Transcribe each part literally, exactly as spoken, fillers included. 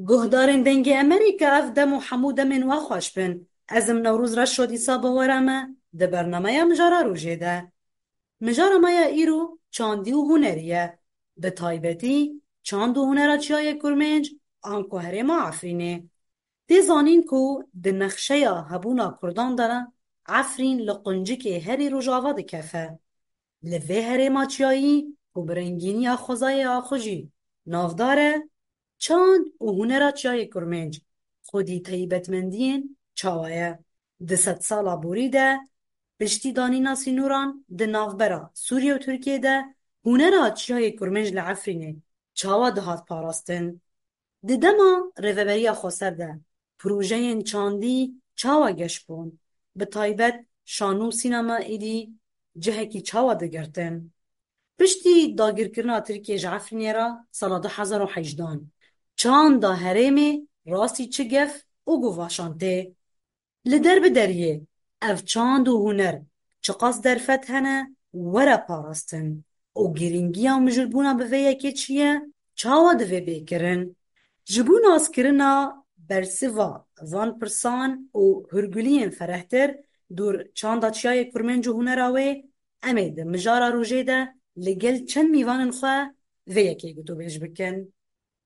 Guhdarên Dengê Emerîka, ev dem û hemû demên we xweş bin. Ez im Newroz Reşo dîsa bi we re me di bernameya Mijara Rojê de. Mijara me ya îro çandî û hunerî ye. Bi taybetî çand û hunera Çiyayê Kurmênc anku herêma Efrînê. Tê zanîn ku di nexşeya hebûna Kurdan de Efrîn li quncikê herî rojava dikefe. Li vê herêma çiyayî ku bi rengîniya xwezayê axujî navdar e, çand û hunera Çiyayê Kurmênc xwedî taybetmendiyên çawa ye? Di sedsala borî de piştî danîna sînoran di navbera Sûriye û Tirkiyê de hunera Çiyayê Kurmênc li Efrînê çawa dihat parastin? Di dema Rêveberiya Xweser de projeyên çandî çawa geş bûn? Bi taybet şano û sînema êdî cihekî çawa digirtin? Piştî dagirkirina Tirkiyê ji Efrînê re sala du hezar û hejdehan, çanda herêmê rastî çi gef û guvaşan tê? Li derbideriyê ev çand û huner çiqas derfet hene were parastin û girîngiya mijûlbûna bi vê yekê çi ye, çawa divê bê kirin? Ji bo naskirina bersiva van pirsan û hûrguliyên ferehtir dûr çanda Çiyayê Kurmênc û hunera wê, em ê di Mijara Rojê de li gel çend mîvanên xwe vê yekê gotûbêj bikin.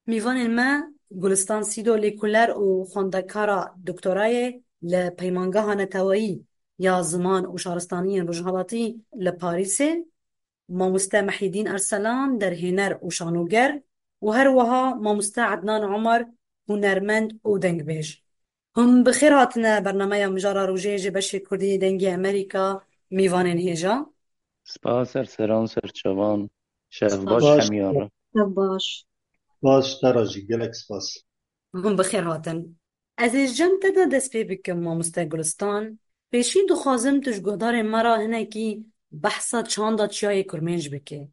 Mîvanên me Gulistan Sîdo, lêkoler û xwendekara doktorayê li Peymangeha Neteweyî ya Ziman û Şaristaniyên Rojhilatî li Parîsê, mamoste Mehîdîn Erselan, derhêner û şanoger, û her wiha mamoste Ednan Omer, hunermend û dengbêj. Hûn bi xêr hatine bernameya Mijara Rojê ji beşê Kurdî Dengê Emerîka, mîvanên hêja. Spas, ser seran, ser çavan. Şev baş Baş. Hemiyan re. Şev baş. Baş, te re jî gelek spas. Hûn bi xêr hatin. Ez ê ji cem te de dest pê bikim, mamoste Gulistan. Pêşî dixwazim tu ji guhdarên me re hinekî behsa çanda Çiyayê Kurmênc bike.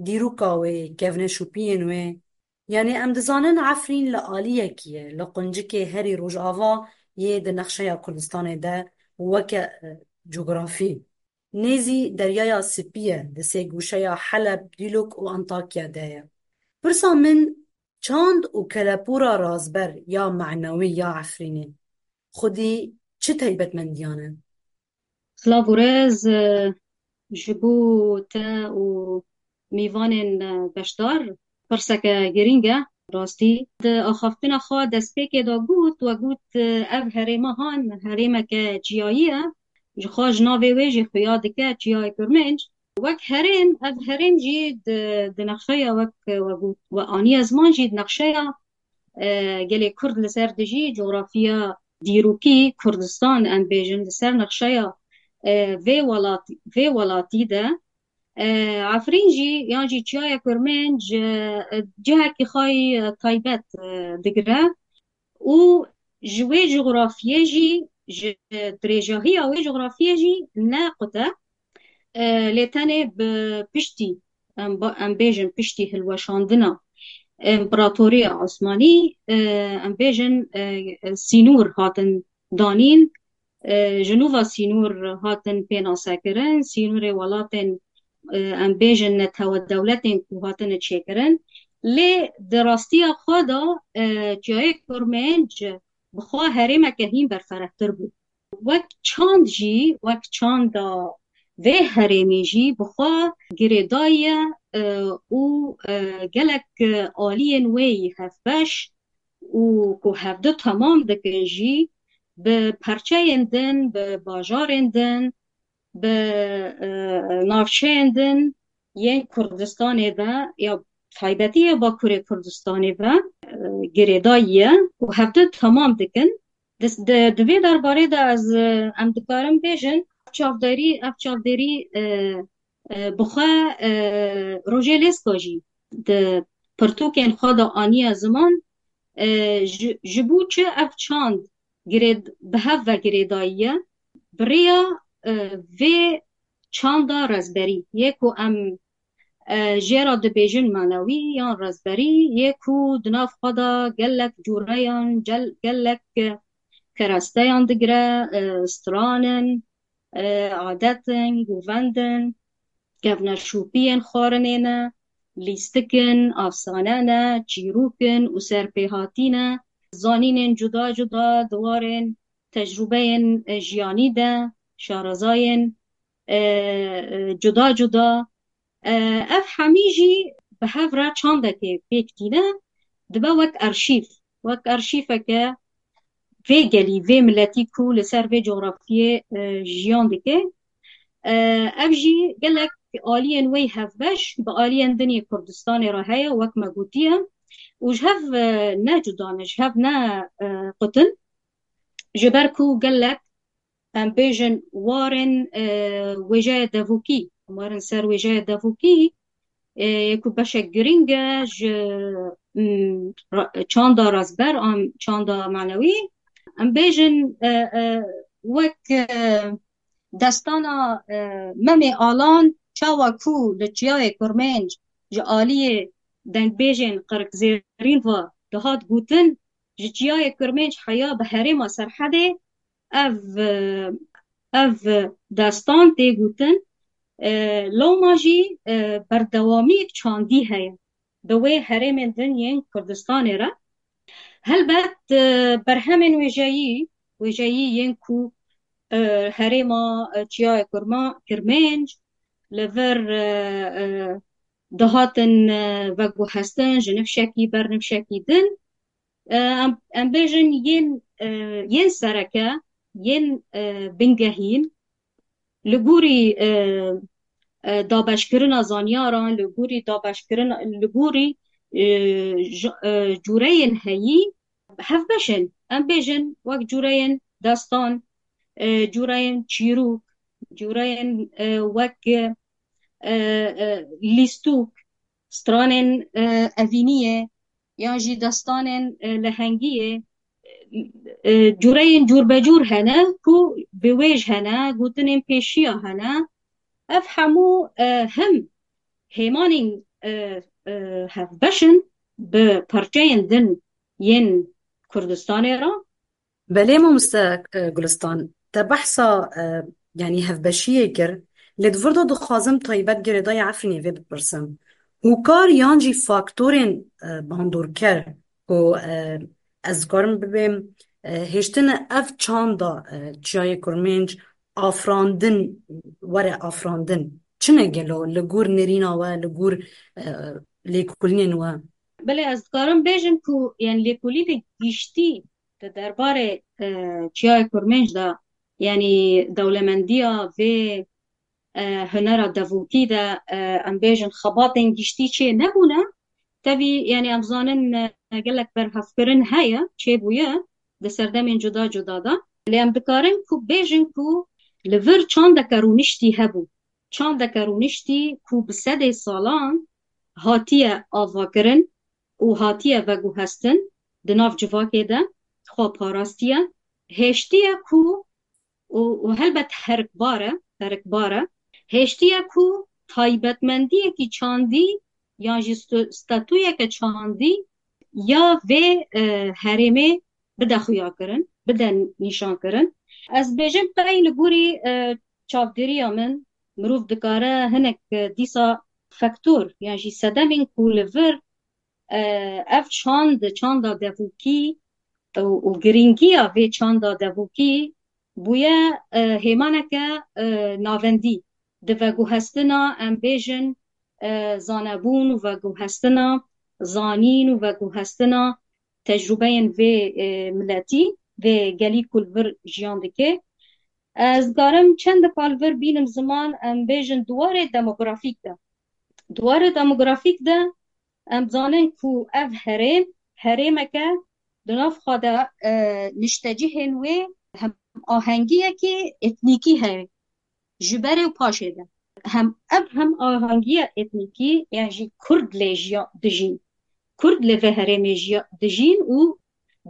Dîroka wê, kevneşopiyên wê. Yanî em dizanin Efrîn li aliyekî ye, li quncikê herî rojava yê di nexşeya Kurdistanê de weke, e, cografî. Nêzî Deryaya Spî ye, di sêgoşeya Heleb, Dîlok û Antakya de ye. Pirsa min, çand û kelepûra razber ya menewî ya Efrînê xwedî çi taybetmendiyan e? Silav û rêz, e, ji bo te û mîvanên, e, beşdar, pirseke girîng e. Rastî, di axaftina xwe destpêkê de got, we got, e, ev herêma han herêmeke çiyayî ye. Ji xwe ji navê wê jî xuya dike Çiyayê Kurmênc. Wek herêm, ev herêm jî di, di nexşeya wek we got, we aniye ziman jî di nexşeya, e, gelê Kurd li ser dijî coxrafiya dîrokî Kurdistan, em bêjin, li ser nexşeya, e, vê welatî, vê welatî de, e, Efrîn jî yan jî Çiyayê Kurmênc, e, cihekî xwe yî, e, taybet, e, digire û ji wê coxrafiyê jî, ji dirêjahiya wê coxrafiyê jî ne qut e, e, lê tenê bi piştî, em ba-, em bêjin piştî hilweşandina Împaratoriya Osmanî, e, em bêjin, e, sînor hatin danîn, e, ji nû ve sînor hatin pênasekirin, sînorê welatên, e, em bêjin netewe dewletên ku hatine çêkirin. Lê di rastiya xwe de, e, Çiyayê Kurmênc bi xwe herêmeke hîn berferehtir bû. Wek çand jî, wek çanda vê herêmê jî bi xwe girêdayî ye, e, û, e, gelek, e, aliyên wê yî hevbeş û ku hevdu temam dikin jî bi perçeyên din, bi bajarên din, bi, e, navçeyên din yên Kurdistanê ve ya taybetî ya Bakurê Kurdistanê ve, e, girêdayî ye û hevdu temam dikin. Di, di, di vê derbarê de ez, e, em dikarin bêjin, ev çavderî, ev çavderî, e, e, bi xwe, e, Rojê Lêska jî di pirtûkên xwe de aniye ziman, e, ji, ji bo çi ev çand girê-, bi hev ve girêdayî ye? Bi rêya, e, vê çanda rezberî yê ku em, e, jê re dibêjin manewî yan rezberî yê ku di nav xwe de gelek cûreyan, gel-, gelek keresteyan digire, e, stran in, e, adet in, govend in, kevneşopiyên xwarinê ne, lîstik in, afsane ne, çîrok in û serpêhatî ne, zanînên cuda cuda di warên tecrûbeyên, e, jiyanî de, şarezayên, e, e, cuda cuda. E, ev hemî jî bi hev re çandekê pêk tîne, dibe wek arşîv, wek arşîveke vê gelî, vê miletî ku li ser vê cografiyê, e, jiyan dike. E, ev jî gelek aliyên wê hevbeş bi aliyên din yê Kurdistanê re heye, wek me gotiye. Û ji hev, e, ne cuda ne, ji hev ne, e, qutin. Ji ber ku gelek, em bêjin, warên, e, wêjeyê devokî, warên ser wêjeyê devokî, e, yê ku beşek girîng e ji, mm, ra-, çanda rastber an çanda manewî. Em bêjin, e, e, wek, e, destana, e, Memê Alan, çawa ku li Çiyayê Kurmênc ji aliyê dengbêjên Qirkzêrîn ve dihat gotin, ji Çiyayê Kurmênc heya bi herêma Serhedê, ev, e, ev destan tê gotin, e, loma jî, e, berdewamiyek çandî heye bi wê herêmên din yên Kurdistanê re. Helbet, e, berhemên wêjeyî, wêjeyî yên ku, e, herêma, e, Çiyayê Kurma-, Kirmênc li vir, e, e, dihatin, e, veguhestin ji nifşekî ber nifşekî din. E, em, em bêjin yên, e, yên sereke, yên, e, bingehîn, li gorî, e, e, dabeşkirina zanyaran, li gorî dabeşkirina, li gorî, e, ji-, e, cûreyên heyî hevbeş in. Em bêjin wek cûreyên destan, e, cûreyên çîrok, cûreyên, e, wek, e, e, lîstûk, stranên, e, evîniyê, yan jî destanên, e, lehengiyê, e, cûreyên cûrbecûr hene ku bi wêj hene, gotinên pêşiya hene. Ev hemû, e, him hêmanên, e, e, hevbeş in bi parçeyên din yên Kurdistanê re. Belê mamoste, e, Gulistan, te behsa, e, yanî hevbeşiyê kir, lê di vir de dixwazim taybet girêdayê Efrînê vê bipirsim. Hûkar yan jî faktorên, e, bandorker ku, e, ez dikarim bibêm, e, hêştine ev çanda, e, Çiyayê Kurmênc afirandin, were afirandin. Çi ne gelo li gor nêrîna we, li gor, e, lêkolînên we? Belê, ez dikarim bêjim ku, yani, lêkolînê giştî di derbarê, e, Çiyayê Kurmênc de, yani, dewlemendiya vê, e, hunera devokî de, e, em bêjin, xebatên giştî çê nebûne. Tevî, yani, em zanin, e, gelek berhevkirin heye, çêbûye di serdemên cuda cuda de. Lê em dikarin ku bêjin ku li vir çandeke rûniştî hebû. Çandeke rûniştî ku bi sedê salan hatiye avakirin û hatiye veguhestin di nav civakê de xwe parastiye, hêştiye ku û, û helbet herikbar e, herikbar e, hêştiye ku taybetmendiyekî çandî yan jî stu-, statuyeke çandî ya vê, e, herêmê bide xuyakirin, bide nîşankirin. Ez bêjim qey li gorî, e, çavdêriya min mirov dikare hinek, e, dîsa faktor yan jî sedemên ku li vir, e, ev çand, çanda devokî û, û girîngiya vê çanda devokî bûye, e, hêmaneke, e, navendî di veguhestina, em bêjin, e, zanebûn û veguhestina zanîn û veguhestina tecrûbeyên vê, e, miletî, vê gelî ku li vir jiyan dike. Ez dikarim çendika li vir bînim ziman, em bêjin di warê demografîk de. Di warê demografîk de em zanin ku ev herêm, herêmeke di nav xwe de, e, niştecihên wê hem ahengiyekî etnîkî heye ji berê û paşê de. Hem ev hem ahengiya etnîkî, yan jî Kurd lê jiya-, dijîn. Kurd li vê herêmê jiya-, dijîn û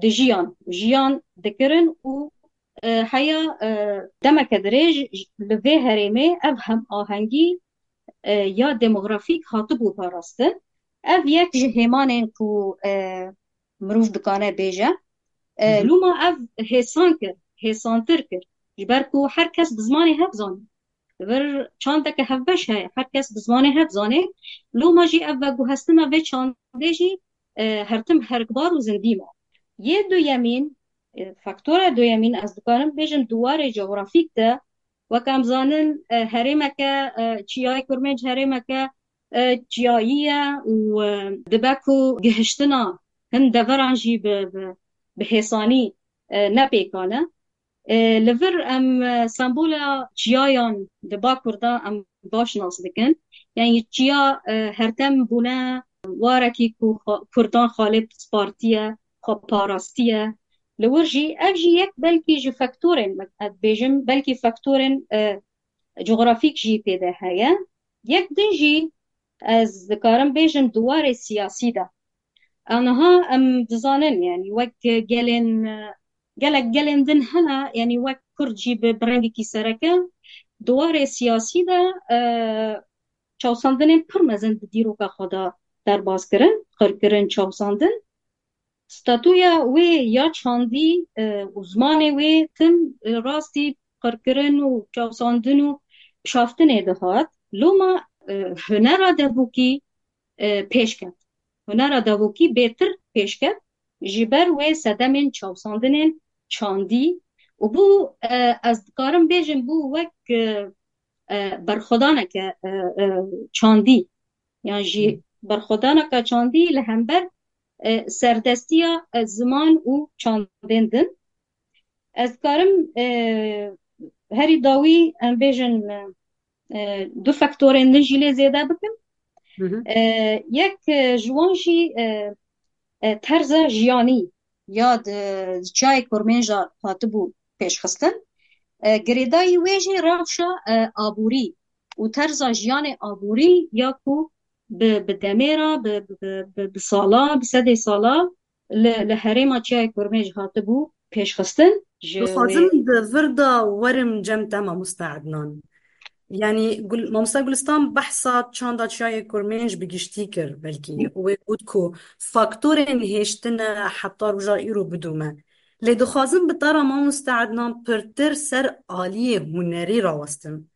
dijiyan, jiyan dikirin û, e, heya, e, demeke dirêj li vê herêmê ev hem ahengî, e, ya demografîk hatibû parastin. Ev yek ji hêmanên ku, e, mirov dikane bêje. E, Hı hı. Loma ev hêsan kir, hêsantir kir. Ji ber ku her kes bi zimanê hev zanî. Li vir çandeke hevbeş heye, her kes bi zimanê hev zanê. Loma jî ev veguhestina vê çandê jî, e, her tim herikbar û zindî ma. Yê duyemîn, e, faktora duyemîn, ez dikarim bêjim di warê coğrafîk de, wek em zanin, e, herêmeke, e, Çiyayê Kurmênc herêmeke, e, çiyayî ye û, e, dibe ku gihiştina hin deveran jî bi, bi, bi hêsanî, e, ne pêkan e. E, li vir em, e, sembola çiyayan di Bakur de em baş nas dikin. Yani çiya, e, her dem bûne warekî ku xwe-, Kurdan xalê spartiye, xwe parastiye. Li wir jî, ev jî yek belkî ji faktorên, ez dibêjim, belkî faktorên, e, coğrafîk jî tê de heye. Yek din jî ez dikarim bêjim di warê siyasî de. Aniha em dizanin, yani wek gelên, gelek gelên din hene, yani wek Kurd jî bi, bi rengekî sereke, di warê siyasî de, e, çawsandinên pir mezin di dîroka xwe de derbas kirin, qirkirin, çawsandin. Statuya wê ya çandî, e, û zimanê wê tim, e, rastî qirkirin û çawsandin û şaftinê dihat. Loma, e, hunera devokî, e, pêş ket. Hunera devokî bêtir pêş ket ji ber wê sedemên çawsandinên çandî û bû, e, ez dikarim bêjim, bû wek, e, e, berxwedaneke, e, e, çandî. Yan jî berxwedaneke çandî li hember, e, serdestiya, e, ziman û çandên din. Ez dikarim, e, herî dawî em bêjin, e, du faktorên din jî lê zêde bikim. Hı hı. E, yek, e, ji wan jî, e, e, terza jiyanî ya di çiyayê Kurmênca hatibû pêşxistin. E, girêdayî wê jî rewşa, e, aborî û terza jiyanê aborî ya ku bi, bi demê re, bi, bi, bi, bi sala, bi sedê sala li, li herêma Çiyayê Kurmênc hatibû pêşxistin. Ji Dixwazim wê di vir de werim cem te, mamoste Ednan. Yani Gul-, mamoste Gulistan behsa çanda Çiyayê Kurmênc bi giştî kir. Belkî wê got ku faktorên hêştine heta roja îro bidome. Lê dixwazim bi te re, mamoste Ednan, pirtir ser aliyê hunerî rawestim.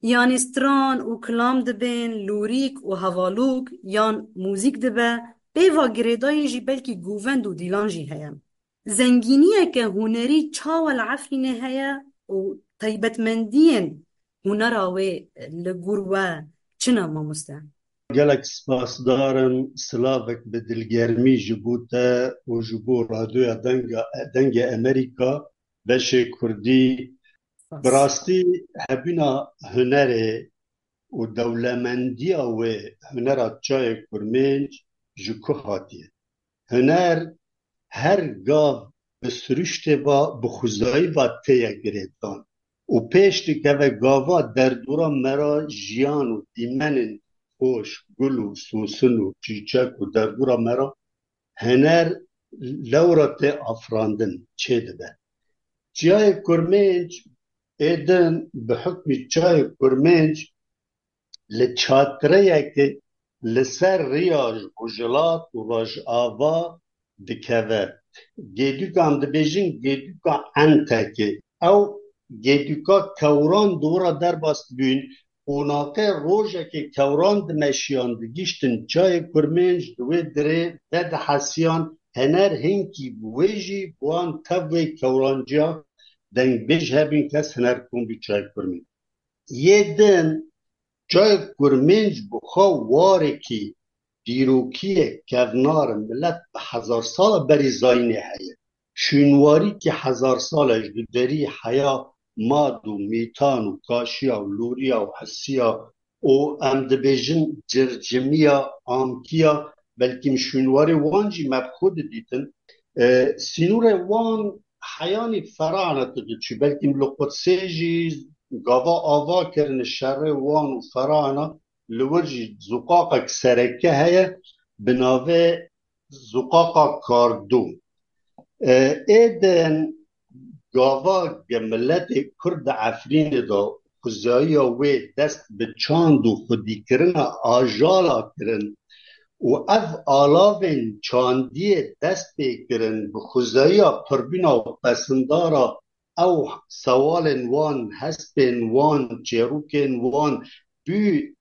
Yanî stran û kilam dibên, lûrîk û hevalûk yan muzîk dibe, pêva girêdayî jî belkî govend û dîlan jî heye. Zengîniyeke hunerî çawa li Efrînê heye û taybetmendiyên hunera wê li gor we çi ne, mamoste? Gelek spasdar im, silavek bi dilgermî ji bo te û ji bo Radyoya Denga, Dengê Emerîka, beşê Kurdî. Spas. Bi rastî hebîna hunerê û dewlemendiya wê, hunera Çiyayê Kurmênc ji ku hatiye? Huner her gav bi siruştê ve, bi xwezayî ve têye girêdan û pêş dikeve gava derdora me re jiyan û dîmenên xweş, gul û sosin û çîçek û derdora me re huner lewra tê afirandin, çêdibe. Çiyayê Kurmênc êdin bi hukmî Çiyayê Kurmênc li çatireyekê li ser riya Rojhilat û Rojava dikeve. Gêdûka, em dibêjin gêdûka Entekê. Ew gêdûka kewran di wira derbas dibûn. Qonaxê rojekê kewran dimeşiyan, digihiştin Çiyayê Kurmênc, di wê dirê vedihesiyan, huner hinkî bi wê jî bi wan tev wê kewranciya dengbêj hebîn kes huner kom bû Çiyayê Kurmênc. Yê din Çiyayê Kurmênc bi xwe warekî dîrokî ye kevnar, milet bi hezar sala berî zayînê heye. Şûnwarîkî hezar sal e ji duderî heya mad û mîtan û kaşiya û lûriya û hisiya û em dibêjin circimiya, amkiya, belkî şûnwarê wan jî me bi xwe didîtin. E, sînorê wan heyanî Ferane diçû, belkî li Qudsê jî gava ava kirin şerê wan û Ferane, li wir jî zûqaqek sereke heye, bi navê Zûqaqa Kardû. E, êdin gava ge miletê Kurd di Efrînê de xuzayiya wê dest bi çand û xwedîkirina ajala kirin û ev alavên çandiyê dest pê kirin, bi xuzayiya pirbîna û pesindara ew sewalên wan, hespên wan, çêrokên wan bû,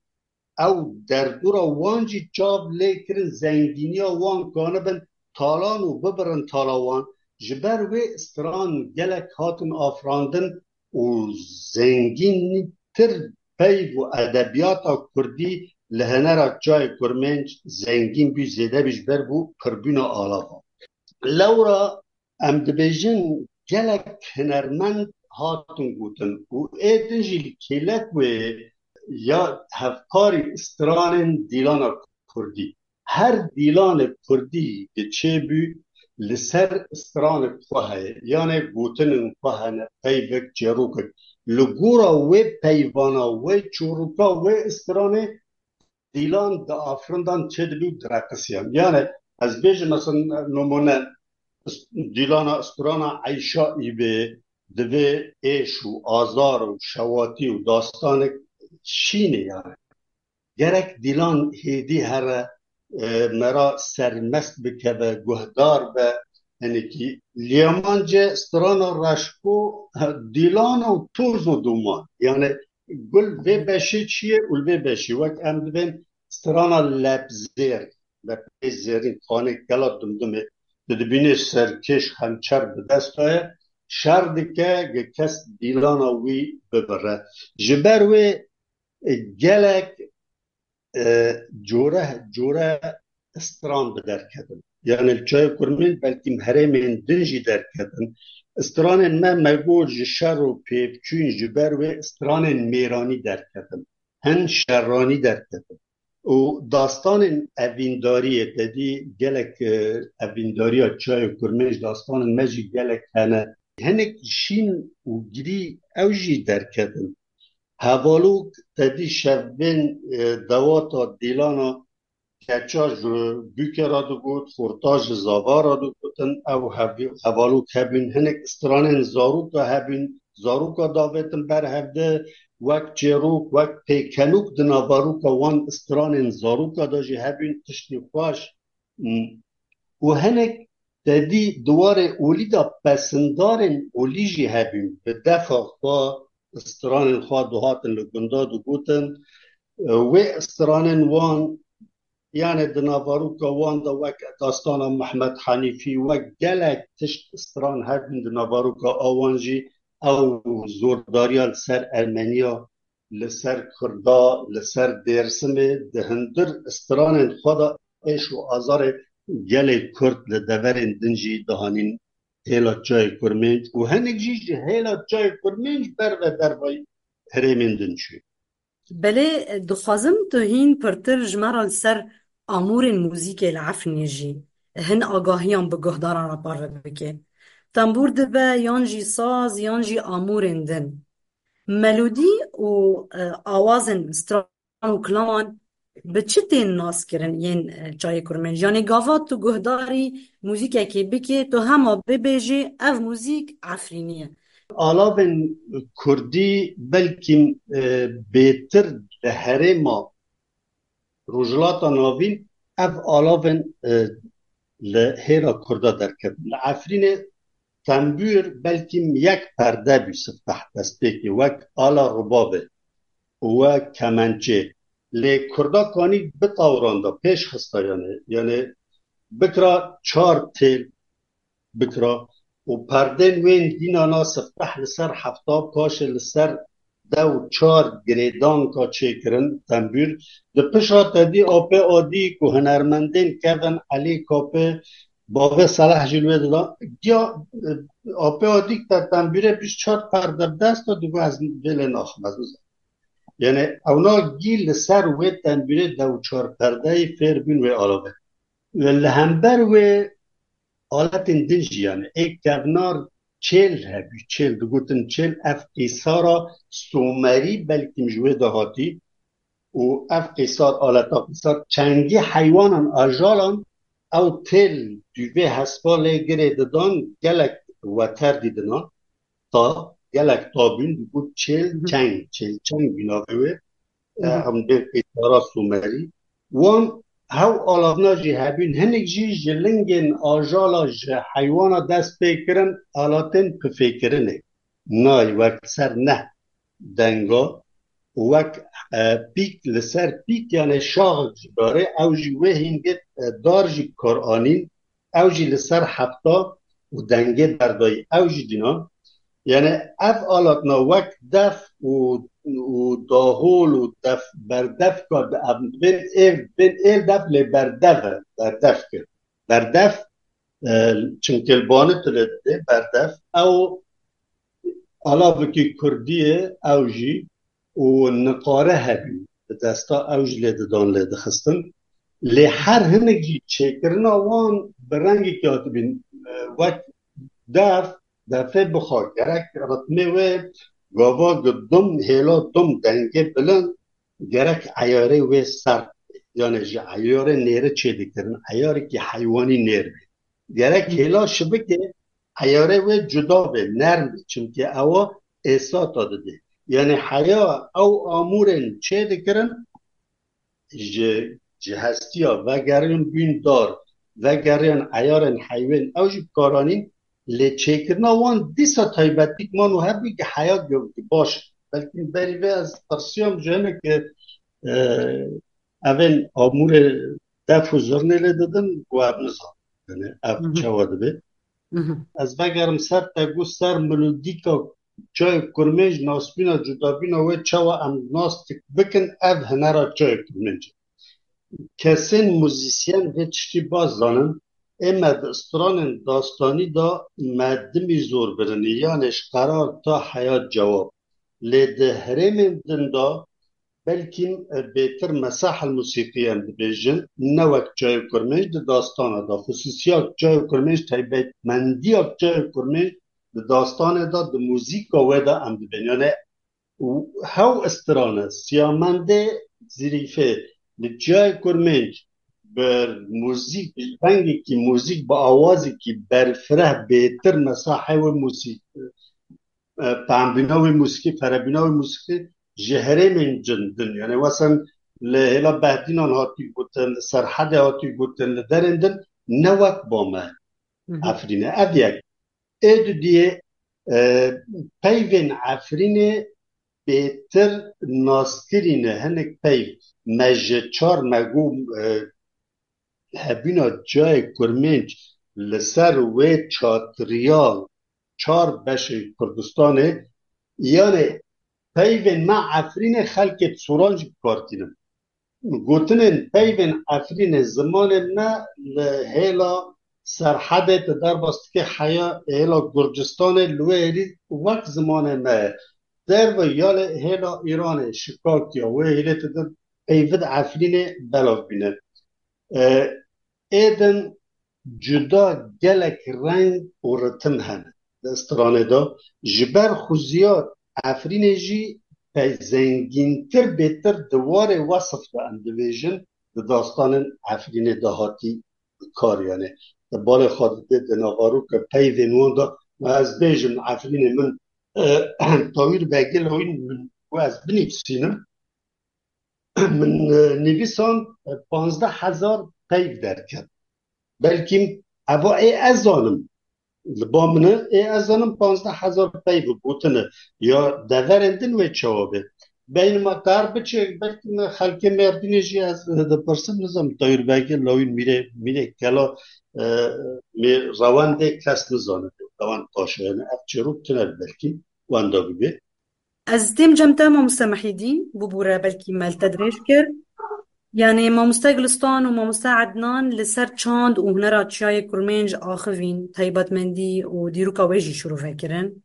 ew derdora wan jî çav lê kirin, zengîniya wan kanibin talan û bibirin tala wan. Ji ber wê stran gelek hatin afirandin û zengîntir peyv û edebiyata kurdî li hunera çayê kurmênc zengîn bû, zêde bû ji ber bû pirbûna alavan. Lewra em dibêjin gelek hunermend hatin gotin û ê din jî li kêlek wê ya hevkarî stranên dîlana kurdî. Her dîlanê kurdî ki çêbû li ser stranê xwe heye, yanê gotinên xwe hene, peyvek, çêrokek. Li gora wê peyvana, wê çûrûka, wê stranê dîlan diafirindan çêdibû û direqisiyan. Yani ez bêjim mesela nimûne, dîlana strana Eyşa Îbê divê êş û azar û şewatî û dastanek şînê yani. Gerek dîlan hêdî here, e, mera sermest bikeve, guhdar be, hinekî. Lêmance strana Reşko, e, dîlan û toz û duman. Yani gul vê beşê çi ye û li vê beşê. Wek em dibên strana Lepzêr, Lepê zêrîn, xanê gela Dimdimê, tu dibînê serkêş xençer bi dest de ye, şer dike ge kes dîlana wî bibire. Ji ber wê, e, gelek, e, cûre cûre stran bi derketin. Yani li çayê kurmên belkî herêmên din jî derketin. Stranên me, me got ji şer û pêvçûn ji ber wê stranên mêranî derketin. Hin şeranî derketin. Û dastanên evîndariyê te dî gelek, e, evîndariya çayê kurmên ji dastanên me jî gelek hene. Hinek şîn û girî ew jî derketin. Hevalok te dî şevbên, e, dewata dîlana keça ji bûke re digot, xorta ji zava re digotin, ew hev-, hevalok hebûn, hinek stranên zaroka hebûn, zaroka davêtin ber hevde, wek çêrok, wek pêkenok di naveroka wan stranên zaroka de jî hebûn, tiştî xweş. Û hinek te dî di warê olî de pesindarên olî jî hebûn. Bi defa xwe stranên xwe dihatin li gunda digotin. Wê stranên wan, yani di naveroka wan de wek dastana Mehmet Hanîfî, wek gelek tişt stran hebûn di naveroka awan jî ew zordariya li ser Ermeniya, li ser Kurda, li ser Dêrsimê di hundir stranên xwe de êş û azarê gelê Kurd li deverên din jî dihanîn hêla çayê Kurmênc û hinek jî ji hêla çayê Kurmênc ber ve dervayî herêmên din çû. Belê, dixwazim tu hîn pirtir ji me re li ser amûrên muzîkê li Efrînê jî hin agahiyan bi guhdaran re parve bike. Tembûr dibe, yan jî saz, yan jî amûrên din. Melodî û, e, awazên stran û kilaman bi çi tên nas kirin yên, e, çayê kurmên? Yanî gava tu guhdarî muzîkekê bikê, tu hema bibêjê ev muzîk Efrînî ye. Alavên kurdî belkî, e, bêtir li herêma Rojhilata Navîn ev alavên, e, li hêla Kurda derketin. Li Efrînê tembûr belkî yek perde bû, sifteh destpêkê, wek ala rubabê û wek kemençê. Lê Kurda kanî bi tawran de pêş xista, yani, yani bikira çar têl bikira û perdên wên dînana sifteh li ser hefta paşê li ser dew çar girêdanka çêkirin, tembûr. Di pişa te dî Apê Adî ku hunermendên kevin Elî Kapê, bavê Seleh jî li wê dida. Giya, e, Apê Adî te tembûrê bîst çar perde bi dest de digot, ez vê lê naxim, ez nizanim. Yani ewna gî li ser wê tembûrê dew çar perdeyî fêr bûn wê alavê. Li hember wê aletên din jî, yani ê kevnar çêl hebû, çêl digotin çêl, ev qîsara Sumerî belkî ji wê de hatî û ev qîsar, aleta qîsar çengî heywanan, ajalan, ew têl dûvê hespa lê girê didan, gelek weter dî dinan. Ta, gelek ta bûn, digot çêl çeng, çêl çeng bû navê wê. E, em bên qîsara Sumerî. Wan hew alavna jî hebûn, hinek jî ji lingên ajala ji heywana dest pê kirin, alatên nay, wek ser neh denga, wek, e, pîk li ser pîk, yani şaxek ji darê, ew jî wê hîngê, e, dar jî bi kar anîn, ew jî li ser hefta û dengê berdayî, ew jî dîna. Yani ev alatna wek def û, û dahol û def, berdevka de, em bên êl, bên êl def lê berdev e, berdev kir. Berdef, e, çimkê li banê tu lê didê, berdef, ew alavikî kurdî ye, ew jî û niqare hebî, bi desta ew jî lê didan, lê dixistin. Lê her hinek jî çêkirina wan bi rengekî hatibîn, e, wek def, defê bixwe gerek ritmê wê gava gi dum, hêla dum, dengê bilind, gerek eyarê wê sert bê. Yani ji eyarê nêrî çêdikirin, eyarekî heywanî nêr bê. Gerek hêla şibikê eyarê wê cuda bê, nerm bê. Çimkî ewa êsata didê. Yani heya ew amûrên çêdikirin, ji, ji hestiya vegeriyan bûn dar, vegeriyan eyarên heywan, ew jî bi kar anîn, lê çêkirina wan dîsa taybetî man û hebû ki heya gi-, gi baş. Belkî berî vê ez pirsiyam ji hinek, e, evên amûrê def û zurnê lê didin, ku ev nizan. Yani ev Hı hı. çawa dibe? Hı hı. Ez vegerim ser te, got ser melodîka çayê kurmênc, nasbîna cudabîna wê çawa em nas dik bikin, ev hunera çayê kurmênc. Kesên muzîsyen vê tiştî baş zanin, ê me di stranên dastanî de me dimî zor birinî, yanê ji qerar ta heyat cewab. Lê di herêmên din de belkî, e, bêtir mesah el musîqî em dibêjin, ne wek çayê kurmênc di dastana de. Xusûsiya çayê kurmênc, taybetmendiya çayê kurmênc di dastanê de, di muzîka wê de em dibên. Yani û hew strane, siyamendê zirîfê li çiyayê kurmênc bi muzîk, bi rengekî muzîk, bi awazekî berfireh bêtir mesahê wê muzîk, e, pembîna wê muzîkî, ferebîna wê muzîkî ji herêmên cin din. Yani wesen li hêla Behdînan hatî gotin, li Serhedê hatî gotin, li derên din ne wek ba me. Hı hı. Efrîne. Ev yek. Ê dudiyê, e, peyvên Efrînê bêtir naskirî ne. Hinek peyv me ji çar me got, e, hebîna cayê kurmênc li ser wê çatriya çar beşê Kurdistanê, yanê peyvên me Efrînê xelkê Soran jî bi kar tînin. Gotinên peyvên Efrînê zimanê me li hêla Serhedê, tu derbas dikê heya hêla Gurcistanê, li wê êrî wek zimanê me ye. Derve ya li hêla Îranê, Şikakiya, wê hêlê tu di peyvid Efrînê belav bîne. E, êdin cuda gelek reng û ritim hene di stranê de. Ji ber xuziya Efrînê jî pey zengîntir, bêtir di warê wesif de em dibêjin, di dastanên Efrînê de hatî bi kar, yani. Di balê xwe didê, di navarûke peyvên wan de, ma ez bêjim, Efrînê min, e, Tawîr Begê Lawîn min, ku ez binivîsînim, min, e, nivîsan, e, panzdeh hezar peyv derket. Belkî eva ê ez zanim. Li ba min e, ê ez zanim panzdeh hezar peyv gotine. Ya deverên din wê çawa be? Beynima kar biçe, belkî me xelkê Mêrdînê jî ez dipirsim, nizam, Tayîr Begê Lawîn, Mîrê, Mîrê Kela, e, Mîr Rewendê kes nizane. Rewend Paşa, yani ev çêrok tune belkî wenda bibe. Ez têm cem te, mamoste Mehîdî, bûbûre belkî me li te dirêj kir. Yanî mamoste Gulistan û mamoste Ednan li ser çand û hunera çiyayê kurmênc axivîn, taybetmendî û dîroka wê jî şirove kirin.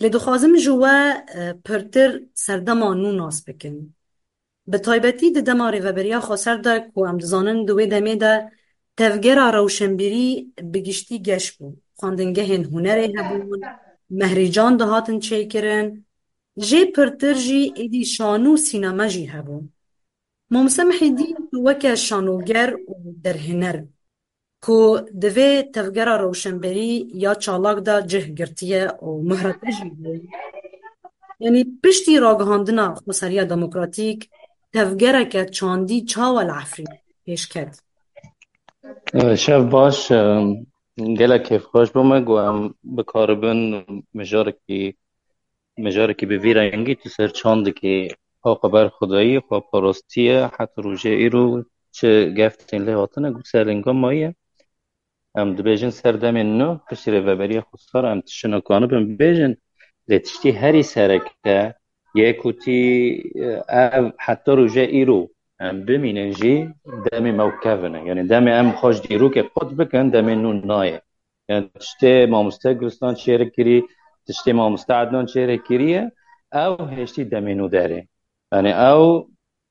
Lê dixwazim ji we, e, pirtir serdema nû nas bikin. Bi taybetî di dema Rêveberiya Xweser de ku em dizanin di wê demê de tevgera rewşenbîrî bi giştî geş bû. Xwendingehên hunerê hebûn, mehrîcan dihatin çêkirin. Jê pirtir jî êdî şano û sînema jî hebû. Mamoste Mihîdîn, tu weke şanoger û derhêner ku di vê tevgera rewşenbîrî ya çalak de cih girtiye û muhra te jî bû. Yanî piştî ragihandina xweseriya demokratîk, tevgereke çandî çawa li Efrînê pêş ket? Şev baş, gelek kêfxweş bû me ku em bikaribin mijarekî mijarekî bi vî rengî tu ser çandikê xwe berxwedayî, xwe parastî ye, heta rojê îro çi gef tên lê hatine, got ser linga maye. Em dibêjin ser demên nû, piştî Rêveberiya Xwesar em tiştino kanibin bibêjin, lê tiştî herî sereke yê ku tî, e, ev heta roje îro em bimînin jî demê me û kevin e. Yani demê em xwe ji dîrokê qut bikin, demê nû nayê. Yani tiştê mamoste Gulistan çêre kirî, tiştê mamoste Adnan çêre kiriye, ew hêştî demê nû derê. Yani ew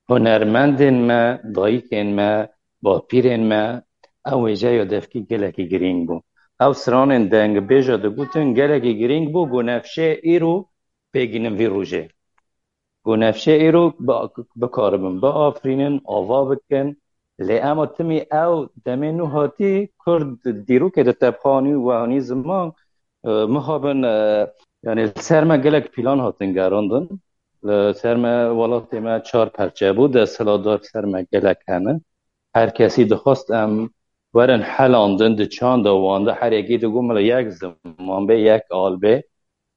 hunermendên me, dayikên me, bapîrên me, ew wêjeya devkî gelekî girîng bû. Ew stranên dengbêja digotin gelekî girîng bû, ku nefşê îro pêgînin vî rojê. Ku nefşê îro bi-, bikaribin, biafirînin, ava bikin. Lê ema timî ew demê nû hatî, Kurd dîrokê di tepxanî û wehanî ziman, e, mixabin, e, yani li ser me gelek plan hatin gerandin. Li ser me, welatê me çar perçe bû, desthilatdar ser me gelek hene. Her kesî dixwest em werin helandin, di çanda wan de her yekî digot mila yek ziman bê, yek al bê.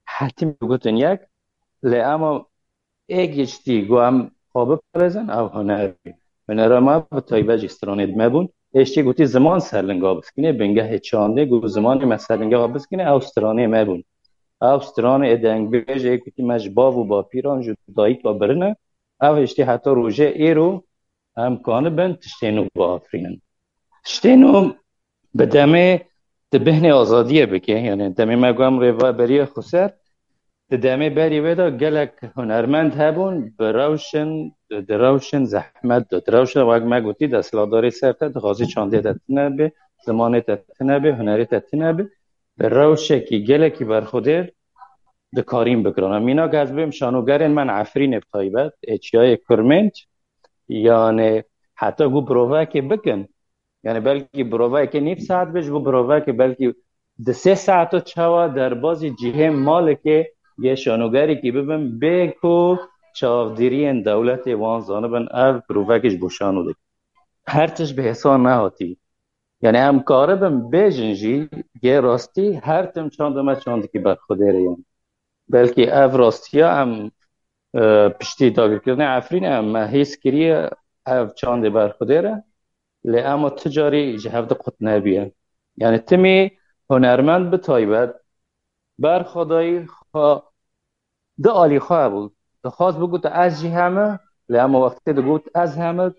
Hetî gotin yek, lê ema ê giştî ku em xwe biparêzin, ew huner bû. Hunera me bi taybet jî stranê me bûn. Ê giştî gotî ziman serlinga biskine, bingehê çandê, ku zimanê me serlinga biskine, ew stranê me bûn. Ew stranê ê dengbêjê gotî me ji bav û bapîran, ji dayika birine, ew hiştî heta rojê êro em kanibin tiştê nû biafirînin. Tiştê nû bi demê di bêhnê azadiyê bike, yani demê me got em Rêveberiya Xweser, di demê berî wê de gelek hunermend hebûn, bi rewşin, di rewşin zehmet de, di rewşin wek me gotî, desthilatdarê ser te dixwazî çandê te tune be, zimanê te tune be, hunerê te tune be, bi rewşekî gelekî berxwedêr dikarîn bikirin. Mînak ez bêm şanogerên me Efrînê bi taybet, ê Çiyayê Kurmênc, yani heta ku provekê bikin, yani belkî proveyeke nîv saet be, ji bo provekê belkî di sê saeto çawa derbazî cihê malikê yê şanogerekî bibin, bê ku çavdîriyên dewletê wan zanibin, ev provekê ji bo şano dike. Her tişt bi hêsan nehatî. Yani em karibin bêjin jî, yê rastî her tim çanda me çandikî berxwedêr e yani. Belkî ev rastiya em, e, piştî dagirkirina Efrînê em me hîs kiriye ev çandê berxwedêr e. Lê ema ti carî ji hev de qut nebûye. Yani timî hunermend bi taybet berxwedayî xwe di alî xwe hebû. Dixwest bigote ez jî heme, lê ema wextê digot ez heme,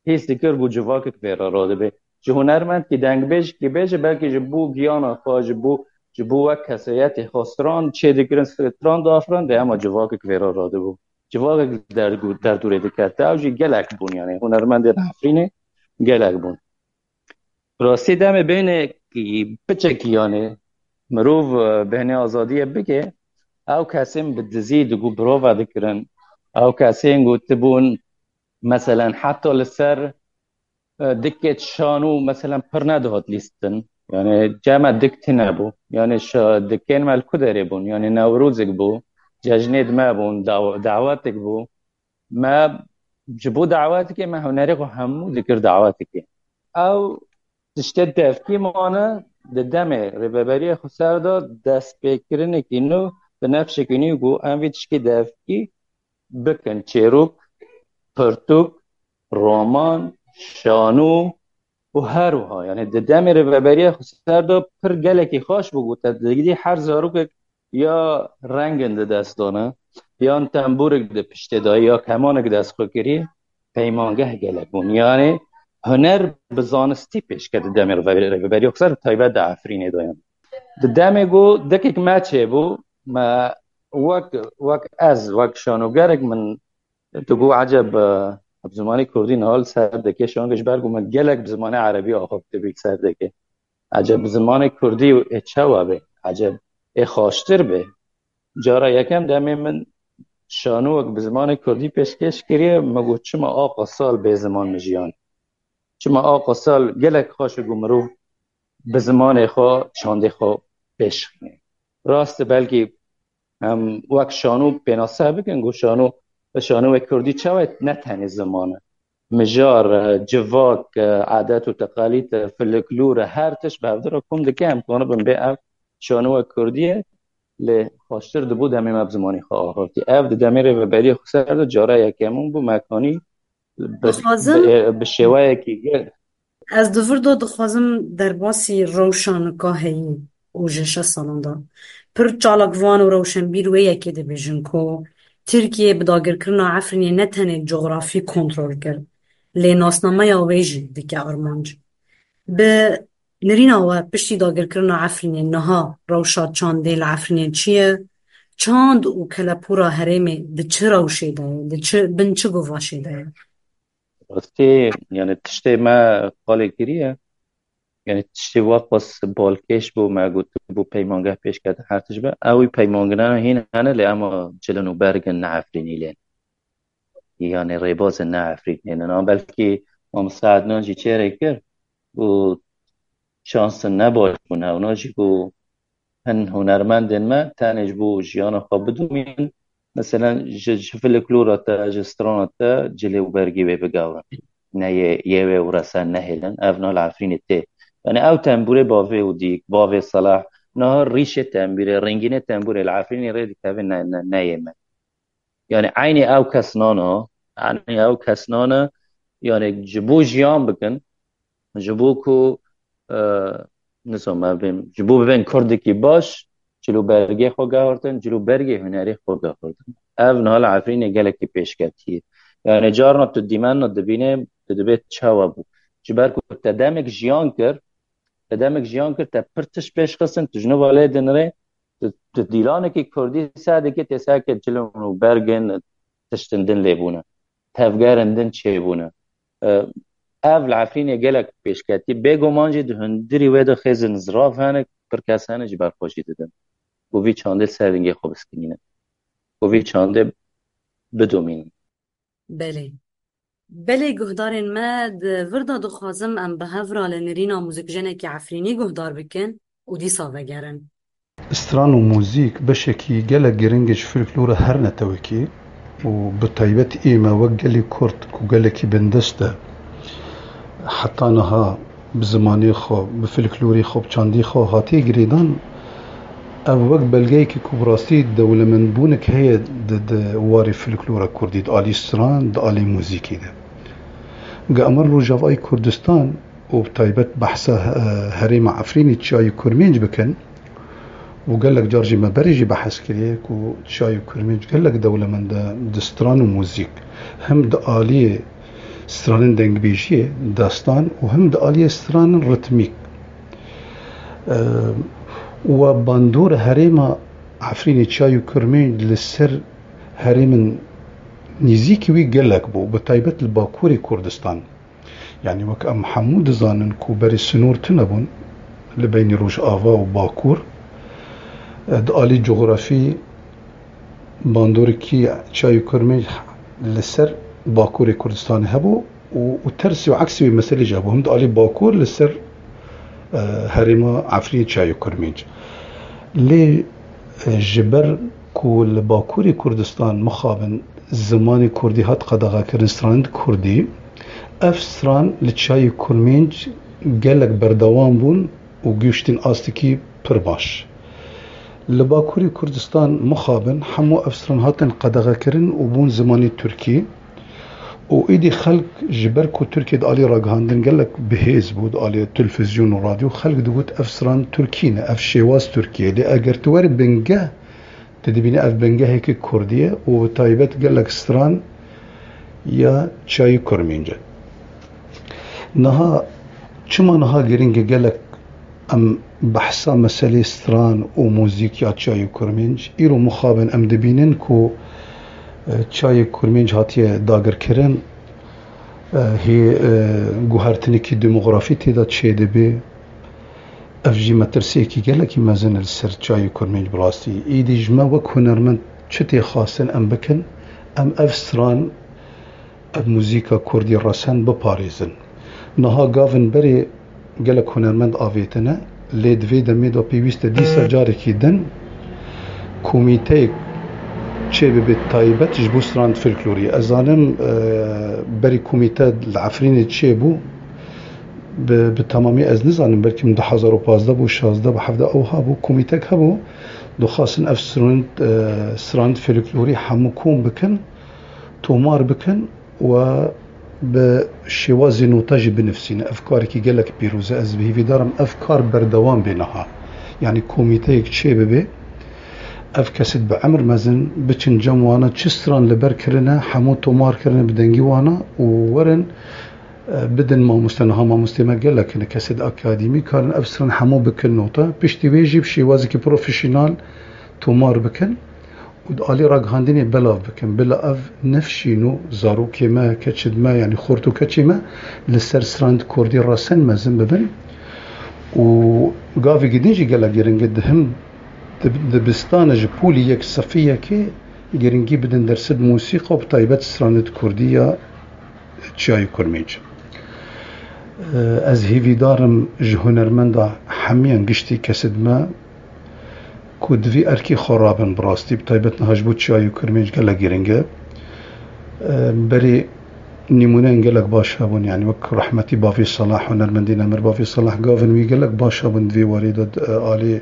hîs dikir ku civakek vê re radibe. Ji hunermendkî dengbêjkî bêje, belkî ji bo giyana xwe, ji bo, ji bo wek kesayetê xwe stran çêdikirin, stran diafirin, lê ema civakek vê re radibû. Civakek dergû-, derdûrê dikete. Ew jî gelek bûn, yani hunermendên Efrînê gelek bûn. Rastî demê bêhnekî piçekî, yani mirov, e, bêhnê azadiyê bike, ew kesên bi dizî digo birova dikirin, ew kesên ku tibûn, meselen heta li ser, e, dikê şanû, meselen pir nedihat lîstin. Yani cema dik tune bû. Yani şa-, dikên me li ku derê bûn? Yani Newrozek bû, cejnê di me bûn, daw-, dawetek bû. Me ji bo dawetekê me hunerê xwe hemû dikir dawetekê. Ew tiştê devkî mane, di demê Rêveberiya Xweser de destpêkirinekî nû, bi nefşekî nû ku em vî tişkî devkî bikin çêrok, pirtûk, roman, şanû û her wiha. Yani di demê Rêveberiya Xweser de pir gelekî xweş bû ku te digî her zarokek ya rengin di dest dane, yan tembûrek di piştê dayî, ya kemanek dest xwe kirî, peymangeh gelek bûn. Yani huner bi zanistî pêşket di demê Rêveberiya Xweser, taybet di Efrînê de yani. Di demê ku dekek me çêbû, me wek, wek ez, wek şanogerek min digot, eceb, e, bi zimanê kurdî niha li ser dikê şanoger, ji ber ku min gelek bi zimanê erebî axaftibe li ser dikê. Eceb bi zimanê kurdî ê çawa be? Eceb ê xweştir be? Cara yekem demê min şanowek bi zimanê kurdî pêşkêş kiriye, min got, çima aqa sal bê ziman min jiyan? Çima aqa sal gelek xweş e ku mirov bi zimanê xwe, çandê xwe pêşxîne? Rast e, belkî em wek şano pênase bikin ku şano, şano wek kurdî çawa ne tenê ziman e. Mijar e, civak e, adet û teqalîd e, folklor e, her tişt bi hev de re kom dike, em kanibin bê ev şano wek kurdî ye. lê xweştir dibû demê me bi zimanê xwe axivtî. Ev di demê Rêveberiya Xweser de cara yekemin bû, me kanî bi, Dixwazim, bi, bi şêweyekî gel. Ez di vir de dixwazim derbasî rewşa nika heyî û ji şeş salan de. Pir çalakvan û rewşenbîr wê yekê dibêjin ku Tirkiye bi dagirkirina Efrînê ne tenê cografî kontrol kir, lê nasnameya wê jî dike armanc. Bi nirîna we piştî dagirkirina Efrînê niha rewşa çandê li Efrînê çi ye? Çand û kelepûra herêmê di çi rewşê de ye? Di çi, bin çi guvaşê de ye? Rastî, yani tiştê me qalê kiriye. Yani tiştê waqas balkêş bû, me gotibû peymangeh pêşket her tişt be. Ew peymangehna hîn hene lê ema cilin û bergin ne Efrînî lê. Yani rêbazin ne Efrînî ne. Belkî Mamosta Ednan jî çêrê kir û şansin ne baş bûne. Ewna jî ku hin hunermendên me tenê ji bo jiyana xwe bidomînin. Meselen ji, ji filiklora te, ji strana te cilê û bergê wê bigavin. Ne yê, yê wê û resen nehêlin. Ev niha li Efrînê tê. Yani ew tembûrê bavê û dîk, bavê Selah, niha rîşê tembûrê, rengînê tembûrê li Efrînê rê dikeve ne, ne, ne yê me. Yani eynî ew kesnana, eynî ew kesnana, yani ji bo jiyan bikin, ji bo ku, e, nizanim, em bêm, ji bo bibên Kurdekî baş, cil û bergê xwe gehortin, cil û bergê hunerê xwe gehortin. Ev niha li Efrînê gelekî pêşketî ye. Yani carna tu dîmenna dibînê, tu dibê çawa bû. Ji ber ku te demek jiyan kir, te demek jiyan kir, te pir tişt pêş xistin, tu ji nû ve lê dinirê, tu, tu dîlanekî kurdî ser dikî, tê ser ke cilin û bergin tiştin din lê bûne. Tevgerin din çêbûne. E, ev li Efrînê gelek pêşketî. Bêguman jî di hundirî wê de xêzin zirav hene, pir kes hene ji ber xwe jî didin. Ku vî çandê ser dingê xwe biskinînin. Ku vî çandê bidomînin. Belê. Belê guhdarên me, di vir de dixwazim em bi hev re li nirîna muzîkjenekî Efrînî guhdar bikin û dîsa vegerin. Stran û muzîk beşekî gelek giring e ji folklora her netewekî û bi taybet ê me wek gelê Kurd ku gelekî bindest e, heta niha bi zimanê xwe, bi folklorê xwe, bi çandî xwe hatiye girêdan, ev wek belgeyekî ku bi rastî dewlemendbûnek heye di, di warê folklora kurdî, di alî stran, di alî muzîkê de. Ge em rin Rojavayê Kurdistan û bi taybet behsa, e, herêma Efrînê, Çiyayê Kurmênc bikin, û gelek car jî me berê jî behs kiriye ku Çiyayê Kurmênc gelek dewlemend e di stran û muzîk. Hem di aliyê stranên dengbêjiyê, destan û hem di aliyê stranên ritmîk. E, we bandor herêma Efrînê, Çiyayê Kurmênc li ser herêmin nîzîkî wî gelek bû, bi taybet li Bakurê Kurdistan. Yanî wek em hemû dizanin ku berê sinor tune bûn li beynî Rojava û Bakur. E, di alî cografî bandorikî Çiyayê Kurmênc li ser Bakurê Kurdistanê hebû û, û tersî û eksî wê meselê jî hebû. Him di alî Bakur li ser, e, herêma Efrînê, Çiyayê Kurmênc. Lê, e, ji ber ku li Bakurê Kurdistan mixabin zimanê kurdî hat qedexekirin, stranên kurdî, ev stran li Çiyayê Kurmênc gelek berdewam bûn û gihiştin astekî pir baş. Li Bakurê Kurdistan mixabin hemû ev stran hatin qedexekirin û bûn zimanê tirkî û êdî xelk ji ber ku Tirkiye di alî ragihandin gelek bihêz bû, di alî televîzyon û radyo, xelk digot ev stran tirkî ne, ev şêwaz tirkî ye. Lê eger tu werî bingeh, tu dibînî ev bingehekî kurdî ye û bi taybet gelek stran ya Çiyayê Kurmênc e. Niha, çima niha giring e gelek em behsa meselê stran û muzîk ya Çiyayê Kurmênc? Îro mixabin em dibînin ku, e, Çiyayê Kurmênc hatiye dagirkirin, e, hê, e, guhertinekî demografî tê de çêdibe. Ev jî metirsiyekî gelekî mezin e li ser Çiyayê Kurmênc bi rastî. Îdî ji me wek hunermend çi tê xwestin em bikin? Em ev stran, ev muzîka kurdî resen biparêzin. Niha gavin berê gelek hunermend avêtine, lê di vê demê de pêwîst e dîsa carekî din komîteyek çêbibe taybet ji bo stran folklorî. Ez zanim, e, berî komîte li Efrînê çêbû, Bi, bi temamî ez nizanim, belkî min du hezar û pazdeh bû, şazdeh bû, hevdeh ew hebû, komîtek hebû, dixwastin ev strand, e, strand folklorî hemû kom bikin, tomar bikin û bi şêwazê nota jî binivîsîne. Ev karekî gelek pîroz e. Ez bi hêvîdar im ev kar berdewam bê niha. Yanî komîteyek çê bibe, ev kesêt bi emir mezin biçin cem wana, çi stran li ber kirine, hemû tomar kirine bi dengî wana û werin, e, bidin mamoste. Niha mamostê me gelek hene, kesêt akademî karin ev stran hemû bikin nota. Piştî wê jî bi şêwazekî profesyonel tomar bikin û di alî ragihandinê belav bikin. Bila ev nifşîn û zarokê me, keçid me, yanî xort û keçê me li ser strand kurdî resen mezin bibin. Û gavê gidin jî gelek giring e, di him di, dibistana ji polî yek sefî yekê giringî bidin dersid mûsîqa û bi taybet stranid kurdî ya Çiyayê Kurmênc. Ez hêvîdar im ji hunermenda hemiyan giştî kesêt me ku di vî erkê xwe rabin, bi rastî, bi taybet niha ji bo Çiyayê Kurmênc gelek giring e. Berê nîmûneyên gelek baş hebûn, yanî wek rehmetî Bavê Salah, hunermendê nemir Bavê Salah, gavên wî gelek baş hebûn di vê warê de, di alî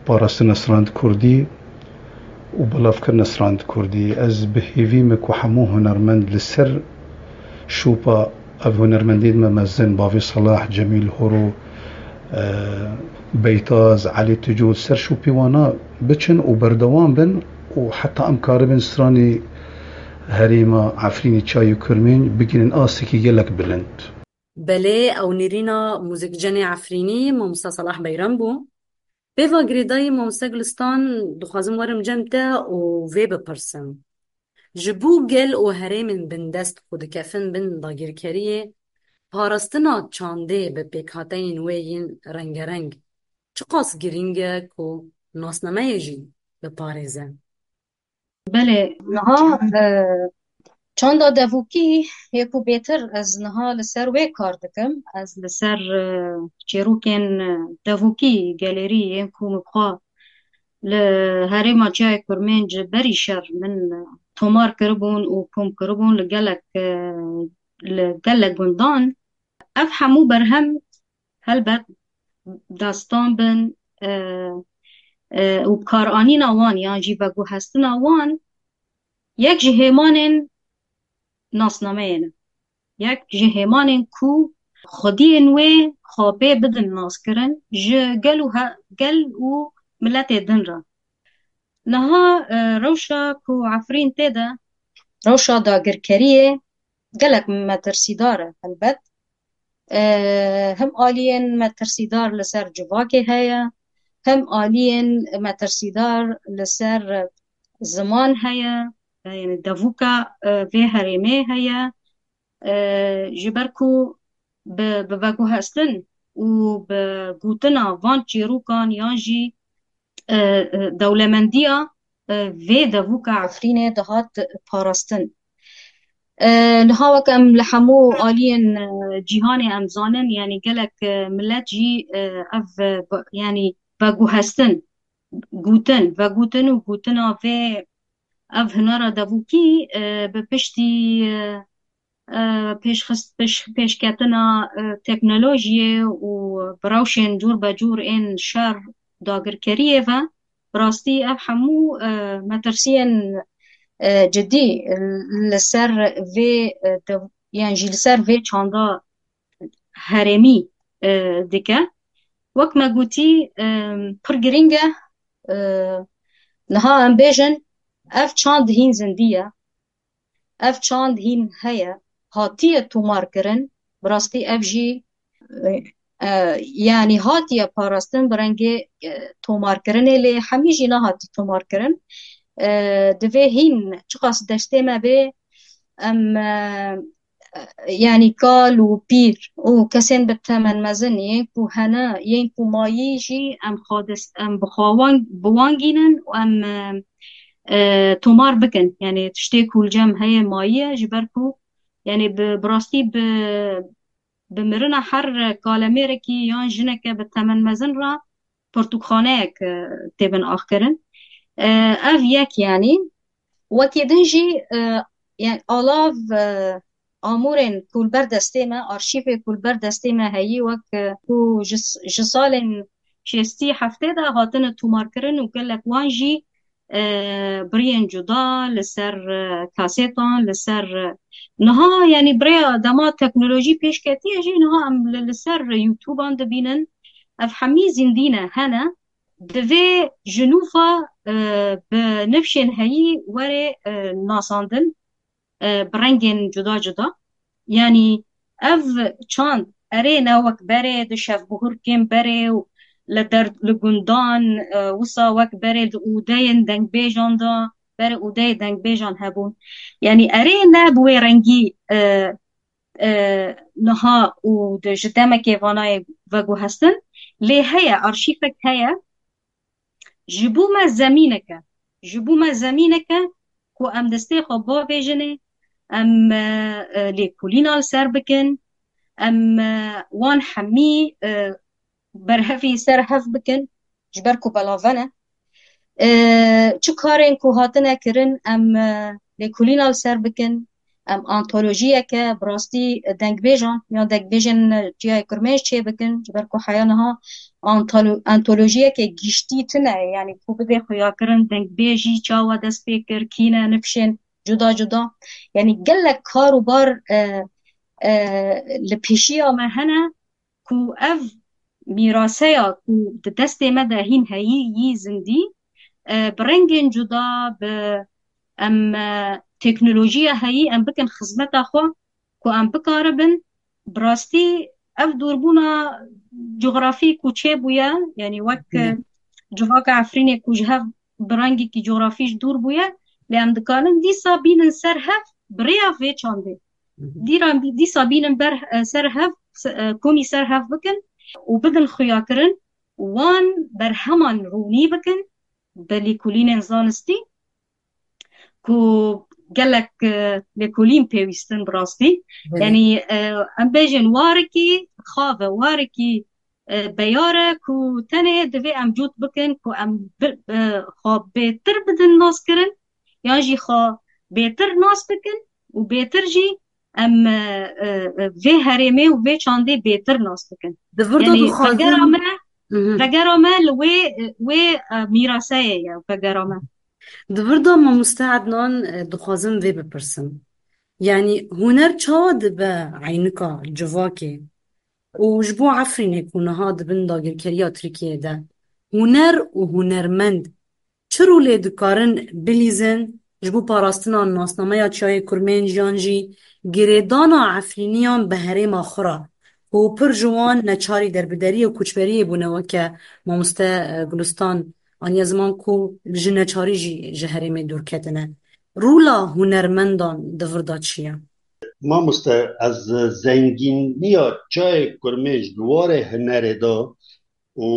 parastina strand kurdî û belavkirina strand kurdî. Ez bi hêvî me ku hemû hunermend li ser şopa ev hunermendên me mezin, Bavê Salah, Cemîl Horo, e, Beytaz, Elî Tico, ser şopê wana biçin û berdewam bin û heta em karibin stranê herêma Efrînê Çiyayê Kurmênc bigihînin astekî gelek bilind. Belê, ew nêrîna muzîkcenê Efrînî, Mamosta Salah Beyran bû. Pê va girêdayî, Mamoste Gulistan, dixwazim werim cem te û vê bipirsim. Ji bo gel û herêmên bindest ku dikefin bin dagirkeriyê, parastina çandê bi pêkhateyên wê yên rengereng çiqas girîng e ku nasnameyê jî biparêze? Belê, niha, e, çanda devûkî yê ku bêtir ez niha li ser wê kar dikim. Ez li ser, e, çêrokên, e, devûkî gelêrî yên ku min bi xwe li herêma Çiyayê Kurmênc berî şer min, e, tomar kiribûn û kom kiribûn li gelek, e, li gelek gundan. Ev hemû berhem helbet destan bin, e, e, û bikaranîna wan yan jî veguhestina wan yek ji hêmanên nasnameyê ne. Yek ji hêmanên ku xwediyên wê xwe pê bidin naskirin ji gel û he-, gel û miletê din re. Niha, e, rewşa ku Efrîn tê de, rewşa dagirkeriyê gelek metirsîdar e helbet. E, him aliyên metirsîdar li ser civakê heye, him aliyên metirsîdar li ser ziman heye, e, yani devûka, e, vê herêmê heye. E, ji ber ku bi, bi veguhestin û bi gotina van çîrokan yan jî, e, e, dewlemendiya, e, vê devûka Efrînê dihat parastin. E, niha wek em li hemû aliyên, e, cîhanê em zanin, yanî gelek, e, milet jî, e, ev, e, bi-, yanî veguhestin, gotin, vegotin û gotina vê ev hunera devûkî, e, bi piştî, e, e, pêşxist-, pêş-, pêşketina, e, teknolojiyê û bi rewşên cûr be cûr ên şer dagirkeriyê ve, bi rastî ev hemû, e, metirsiyên, e, cidî li ser vê, e, dev-, yan jî li ser vê çanda herêmî, e, dike. Wek me gotî, e, pir girîng e, e, niha em bêjin, ev çand hîn zindî ye. Ev çand hîn heye, hatiye tomarkirin, bi rastî ev jî, e, e, yanî hatiye parastin bi rengê, e, tomarkirinê, lê hemî jî nehatî tomarkirin. E, divê hîn çiqas destê me bê, em, e, yanî kal û pîr û kesên bi temen mezin yên ku hene, yên ku mayî jî em xwe dest, em bi xwe wan, bi wan gînin û em, e, e, tomar bikin. Yanî tiştê ku li cem heye mayî ye, ji ber ku, yanî bi, bi rastî bi, bi mirina her kalemêrekî yan jineke bi temen mezin re pirtûkxaneyek, e, tê bin axkirin. E, ev yek, yanî wekî din jî, e, yanî alav, e, amûrên ku li ber destê me, arşîvê ku li ber destê me heyî, wek, e, ku ji, ji salên şêstî heftê de hatine tûmarkirin û gelek wan jî, e, biriyên cuda li ser, e, kasêtan, li ser, e, niha, yanî bi rêya dema teknolojî pêş ketiye jî niha em li, li ser YouTubean dibînin. Ev hemî zindî ne, hene. Divê ji nû ve, e, bi nifşên heyî were, e, nasandin, e, bi rengên cuda cuda. Yanî ev çand erê ne wek berê di şevbihurkên berê û li der, li gundan, e, wisa wek berê di ûdeyên dengbêjan de, berê ûdeyê dengbêjan hebûn. Yanî erê ne bi wê rengî, e, e, niha û di, ji demekê vanayê veguhestin. Lê heye, arşîvek heye. Ji bo me zemînek e. Ji bo me zemînek e ku em destê xwe bavêjinê, em, e, e, lêkolîna li ser bikin, em, e, wan hemî, e, berhevî ser hev bikin, ji ber ku belave ne. E, çi karên ku hatine kirin, em, e, lêkolîna li ser bikin, em antolojiyeke bi rastî dengbêjan yan dengbêjên Çiyayê Kurmênc çê bikin, ji ber ku heya niha antolo-, antolojiyeke giştî tune ye, yanî ku bidê xuyakirin dengbêjî çawa dest pê kir, kî ne, nifşên cuda cuda. Yanî gelek kar û bar, e, e, li pêşiya me hene ku ev mîraseya ku di destê me de hîn heyî yî zindî, e, bi rengên cuda, bi em, e, teknolojiya heyî em bikin xizmeta xwe, ku em bikaribin, bi rastî ev dûrbûna cografî ku çêbûye, yanî wek, e, Hı hı. civaka Efrînê ku ji hev bi rengekî cografî ji dûr bûye, lê em dikarin dîsa bînin ser hev bi rêya vê çandê. Hı hı. Dîra, dîsa bînin ber, e, ser hev, se-, e, komî ser hev bikin û bidin xuyakirin, wan berheman rûnî bikin bi lêkolînên zanistî ku gelek, e, lêkolîn pêwîstin bi rastî. Belê. Yanî, e, em bêjin warekî xav e, warekî, e, beyar e ku tenê divê em cût bikin ku em bi, e, xwe bêtir bidin naskirin, yan jî xwe bêtir nas bikin û bêtir jî em, e, e, e, vê herêmê û vê çandê bêtir nas bikin. Di vir de Yanî dixwazim vegera me, Hı hı. vegera me li wê, wê, e, mîraseyê ye, vegera me. Di vir de mamoste Ednan, e, dixwazim vê bipirsim. Yanî huner çawa dibe eynika civakê? Û ji bo Efrînê ku niha di bin dagirkeriya Tirkiyeyê de, huner û hunermend çi rolê dikarin bilîzin ji bo parastina nasnameya Çiyayê Kurmênc yan jî girêdana Efrîniyan bi herêma xwe re, ku pir ji wan neçarî derbideriyê û koçberiyê bûne, weke mamoste, e, Gulistan aniye ziman ku ji neçarî jî ji herêmê dûr ketine. Rola hunermendan di vir de çi ye? Mamoste, ez zengîniya Çiyayê Kurmênc di warê hunerê de û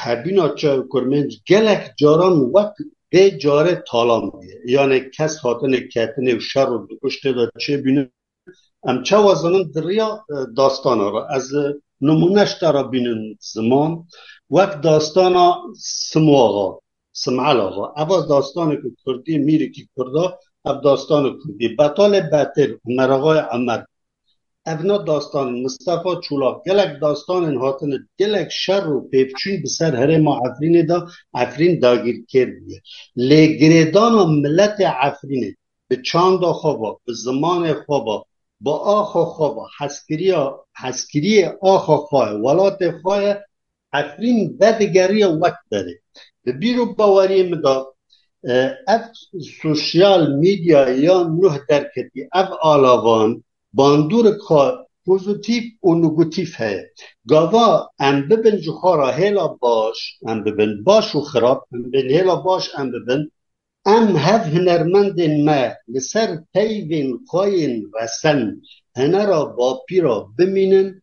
hebîna Çiyayê Kurmênc gelek caran wek vê carê talan bûye. Yanê kes hatine ketine û şer û dikuştê de çêbûne. Em çawa zanin di riya, e, dastana re. Ez, e, nimûne ji te re bînin ziman. Wek dastana Simoaxa, Simel Axa. Eva dastaneke kurdî, mîrekî kurda, ev dastanê kurdî. Betalê Betêl, Omer Axayê Emer. Evna dastan, Mistefa Çolak, gelek dastanên hatine, gelek şer û pêvçûn bi ser herêma Efrînê de, Efrîn dagîrkêr bûye. Lê girêdana miletê Efrînê bi çanda xwe ve, bi zimanê xwe ve, bi axa xwe ve, hezkiriya, hezkiriyê axa xwe ye, welatê xwe ye, Efrîn vedigeriya wek berê. Di bîr û baweriyê min de, e, ev sosyal medya ya nuh derketî, ev alavan, bandorek xwe pozîtîf û negatîf heye. Gava em bibin ji xwe re hêla baş, em bibin baş û xirab, em bibin hêla baş, em bibin, em hev hunermendên me li ser peyvên xwe yên resen, hunera bapîra bimînin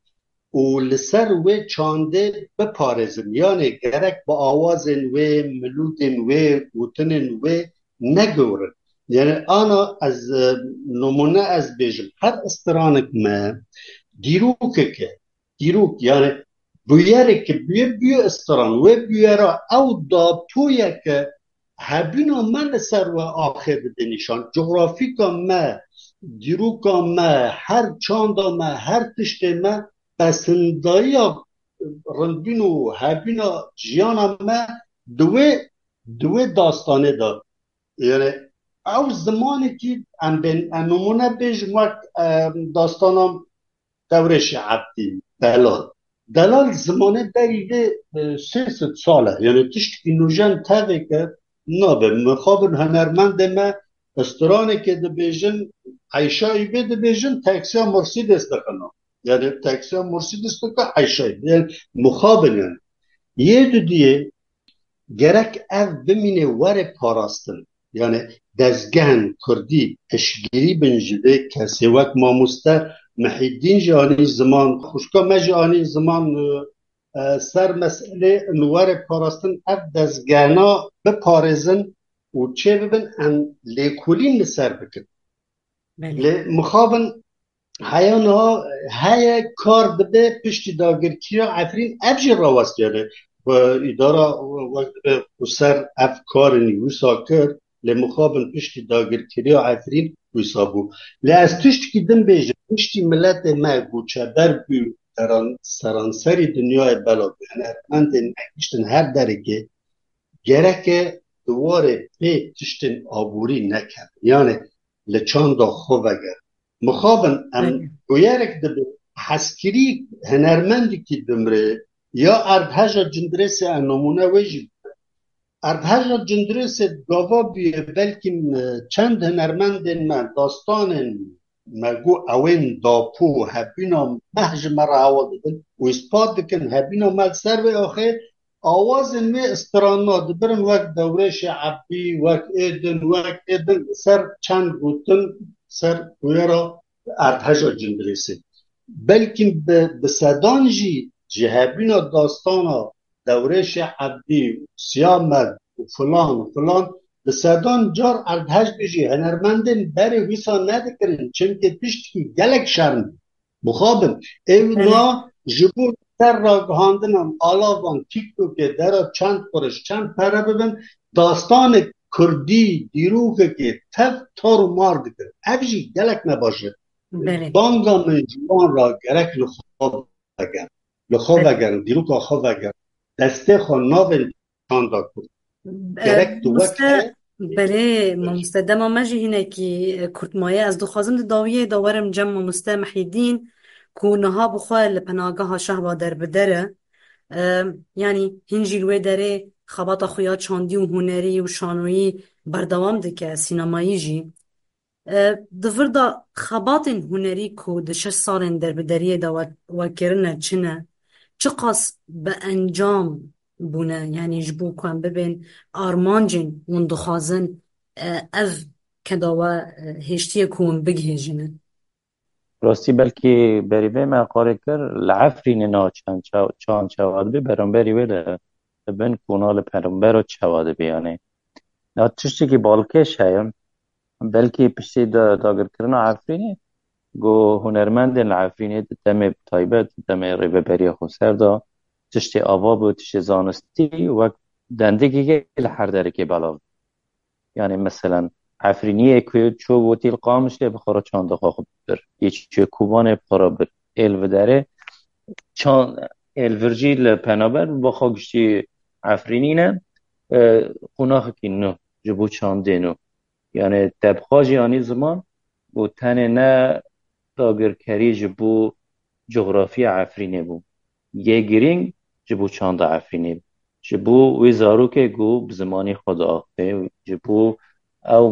û li ser wê çandê biparêzin. Yanê gerek bi awazên wê, milûdên wê, gotinên wê negirin. Yani ana ez, e, nimûne ez bêjim, her stranek me dîrokek e. Dîrok, yani bûyerek bûye, bûye stran. Wê bûyera ew datoyeke hebûna me li ser we axê dide nîşan. Cografîka me, dîroka me, her çanda me, her tiştê me, pesindayiya rindbîn û hebîna jiyana me di wê, di wê dastanê de. Yani ew zimanekî em bên, em nimûne bêjin wek, e, dastana Dewrêşê Ebdî, Delal. Delal zimanê berî vê, e, sê sed sal e. Yani tiştekî nûjen tevêke nabe. Mixabin hunermendê me stranekê dibêjin, Eyşayî vê dibêjin, teksiya Mercedes dixin. Yani teksiya Mercedes dike Eyşayî. Yani mixabin yani. Yê dudiyê gerek ev bimîne were parastin. Yani dezgehên kurdî piştgirî bin ji vê kesê, wek mamoste Mihîddîn jî anî ziman, xwişka me jî anî ziman, e, e, ser meselê in were parastin, ev dezgehna biparêzin û çê bibin, em lêkolîn li ser bikin. Belê. Lê mixabin heya niha heye kar dibe piştî dagirkiriya Efrîn, ev jî rawestiyane. Ku îdara wek dibe ku ser ev karên wisa kir, lê mixabin piştî dagirkiriya Efrîn wisa bû. Lê ez tiştekî din bêjim, piştî miletê me goçeber bû, seran-, seranserî dinyayê bela bû. Hunermendên me giştin her derekê, gereke di warê pê tiştên aborî nekevin. Yani li çanda xwe vegerin. Mixabin em Aynen. bûyerek dibe hezkirî hunermendekî dimrê ya Erdheja Cindirêsê, em nimûne wê jî bide. Erdheja Cindirêsê gava bûye belkî, e, çend hunermendên me dastanên me got ewên dapo hebîna meh ji me re hewa didin û îspat dikin hebîna me li ser vê axê awazên wê stranna dibirin wek Dewrêşê Ebdî, wek êdin, wek êdin li ser çend gotin ser bûyera Erdheja Cindirêsê. Belkî bi, bi sedan jî ji hebîna dastana Dewrêşê Ebdî, Siyamed û filan û filan, bi sedan car Erdhej bê jî hunermendên berê wisa nedikirin. Çimkî tiştekî gelek şerm bû. Mixabin. Ew Evet. na ji bo ser ragihandinan alavan TikTokê dera çend quriş, çend pere bibin, dastanek kurdî, dîrokekê tev tar û mar dikir. Ev jî gelek ne baş e. Belê. Banga min ji wan re gerek li xwe vegerin. Li xwe Belê. vegerin, dîroka xwe vegerin. Destê xwe navên çanda kurd. E, Gerek tu wek mamoste, heye, belê, mamoste, dema me jî hinekî, e, kurt maye. Ez dixwazim di dawiyê de werim cem mamoste Mihîdîn, ku niha bi xwe li penageha Şehba derbider e. E, yanî hîn jî li wê derê xebata xwe ya çandî û hunerî û şanoyî berdewam dike, sînemayî jî. E, di vir de xebatên hunerî ku di şeş salên derbideriyê de we, we kirine çi ne? Çiqas bi encam bûne? Yanî ji bo ku em bibên armancên hûn dixwazin, e, ev keda we, e, hêştiye ku hûn bigihêjinin? Rastî belkî berî vê me qarê kir, li Efrînê niha çand çaw-, çand çawa dibe, beramberî wê de dibin ku niha li perambera çawa dibe, yanî. Ya tiştekî balkêş heye, belkî piştî da-, dagirkirina Efrînê, ku hunermendên li Efrînê di demê taybet, di demê Rêveberiya Xweser de tiştê ava bû, tiştê zanistî, wek dendikekê li her derekê belav bû. Yani meselen, Efrîniyê ku çû wotî li Qamişlê bi xwe re çanda xwe bir. Yê çû Kobanê bi xwe re bir. Ê li vê derê çan-, ê li vir jî li penaber bi xwe giştî Efrînî ne, e, qonaxekî nû ji bo çandê nû. Yani te bi xwe jî anî ziman û tenê ne dagirkerî ji bo coxrafiya Efrînê bû. Yê girîng ji bo çanda Efrînê bû. Ji bo wê zarokê ku bi zimanê xwe diaxive, ji bo ew,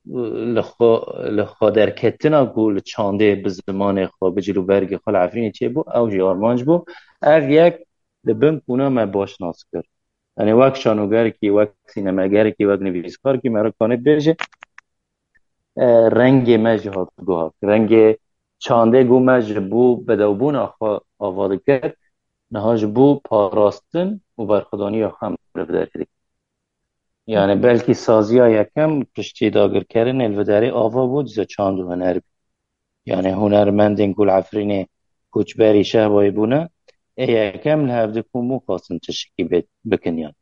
e, li xwe, li xwe derketina ku li çandê bi zimanê xwe, bi cil û bergê xwe li Efrînê çêbû, ew jî armanc bû. Ev yek li bin kûna me baş nas kir. Yani wek şanogerekî, wek sînemegerekî, wek nivîskarekî me re kanê bêje, e, rengê me jî hat guhak. Rengê çandê ku me ji bo bedewbûna xwe ava dikir, niha ji bo parastin û berxwedaniya xwe em li vê derê dikin. Yani belkî saziya yekem piştî dagirkirinê li vê derê ava bû, dize çand û huner bû. Yani hunermendên ku li Efrînê koçberî Şehbayê bûne, ê yekem li hevdî komû xwestin tiştekî bê-, bikin yan.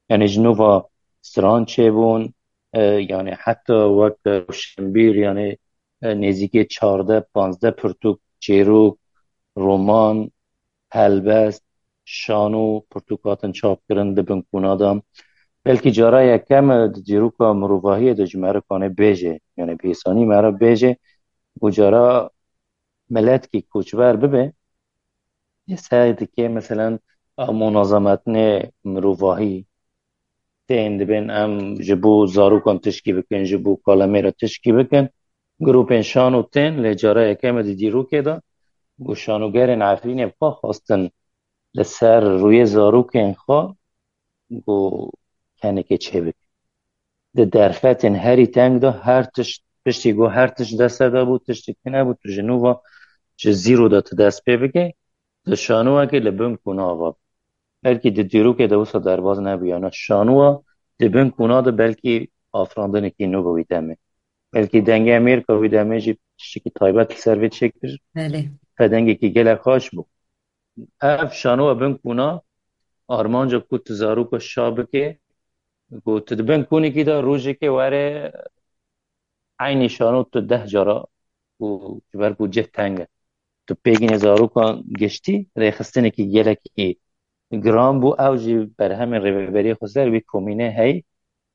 Yani ji nû ve stran çêbûn, e, yani heta wek rewşenbîr, yani e, nêzîkê çardeh, panzdeh pirtûk, çêrok, roman, helbest, şano, pirtûk hatin çapkirin di bin kûna de. Belkî cara yekem e di dîroka mirovahiyê de ji me re kane bêje, yani bi hêsanî me re bêje, û cara miletkî koçber bibe, lê ser dike, meselen, ew munazemetnê mirovahî tên dibên em ji bo zarokan tişkî bikin, ji bo kalemê re tişkî bikin. Grûpên şano tên, lê cara yekem e di dîrokê de, ku şanogerên Efrînê bi xwe xwestin li ser rûyê zarokên xwe, ku kenekê çêbik. Di derfetên herî teng de her tişt, piştî ku her tişt deste de bû, tiştek tune bû, tu ji nû ve ji zîro de tu dest pê bike, di şanoyekê li bin kûna ava. Belkî di dîrokê de wisa derbaz nebûyana. Şanoya di bin kûna de belkî afirandinekî nû bi wî demê. Belkî dengê Amerîka wî demê jî tiştekî taybet li ser vê çêkir. Belê. Te dengekî gelek xweş bû. Ev şanoya bin kûna armanca ku tu zaroka şa bike, ku tu di bin kûnekî de rojekê were eynî şano tu deh cara û ji ber ku cih teng e. Tu pêgînê zarokan giştî rêxistinekî gelekî giran bû, ew jî berhemên rêveberiyê xweser wî komînê heyî.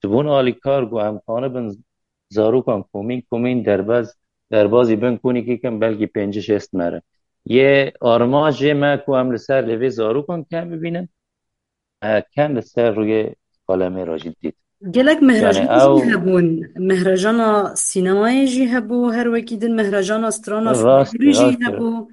Dibûn alîkar ku em kanibin zarokan komîn komîn derbaz, derbazî bin kûnekî kin belkî pêncî şêst mere. Yê armanc jê me ku em li ser lêvê zarokan kem bibînin, e, kem li ser rûyê kalemê re jî dît. Gelek Yani mehrajan jî ew hebûn. Mehrajana sînemayê jî hebû, her wekî din mehrajana strana Rast, folklorî jî rast. hebû.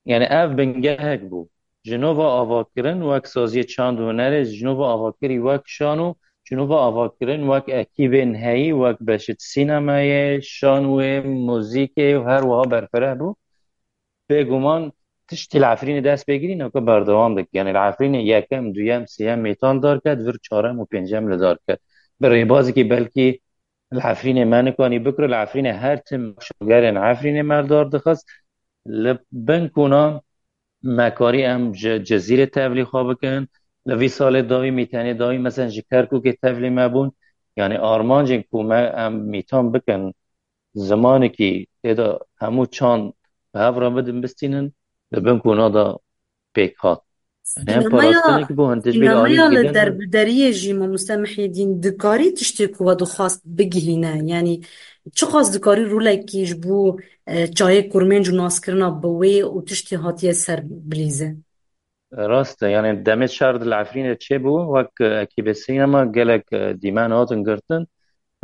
Yani ev bingehek bû. Ji nû ve avakirin wek saziyê çand û hunerê, ji nû ve avakirî wek şano, ji nû ve avakirin wek ekîbên heyî, wek beşê sînemayê, şanoyê, muzîkê û her wiha berfireh bû. Bêguman tiştî li Efrînê dest pê kirî, naka berdewam dike. Yani li Efrînê yekem, duyem, sêyem mêtan darket, vir çarem û pêncem li dar ket. Bi rêbazekî belkî li Efrînê me nikanî bikiro, li Efrînê her tim şogerên Efrînê me li dar dixist. Li bin kûnan me karî em ji Cizîrê tevlî xwe bikin. Li vî salê dawî, mîtenê dawî, mesela ji Kerkûkê tevlî me bûn. Yani armancên ku me em mîtan bikin, zimanekî tê de hemû çand bi hev re bidin bistînin, li bin kûna de pêk hat. Yani hem Sînemaya, parastinekî bû, hin tişbî li sînemaya alî li kirin. Derbideriyê jî mamoste Mihyedîn dikarî tiştê ku we dixwast bigihîne? Yani çiqas dikarî rolekî ji bo, e, çayê kurmênc û naskirina bi wê û tiştê hatiye ser bilîze? Rast e, yani demê şer di li Efrînê çêbû, wek, e, ekîbê sînema gelek, e, dîmen hatin girtin.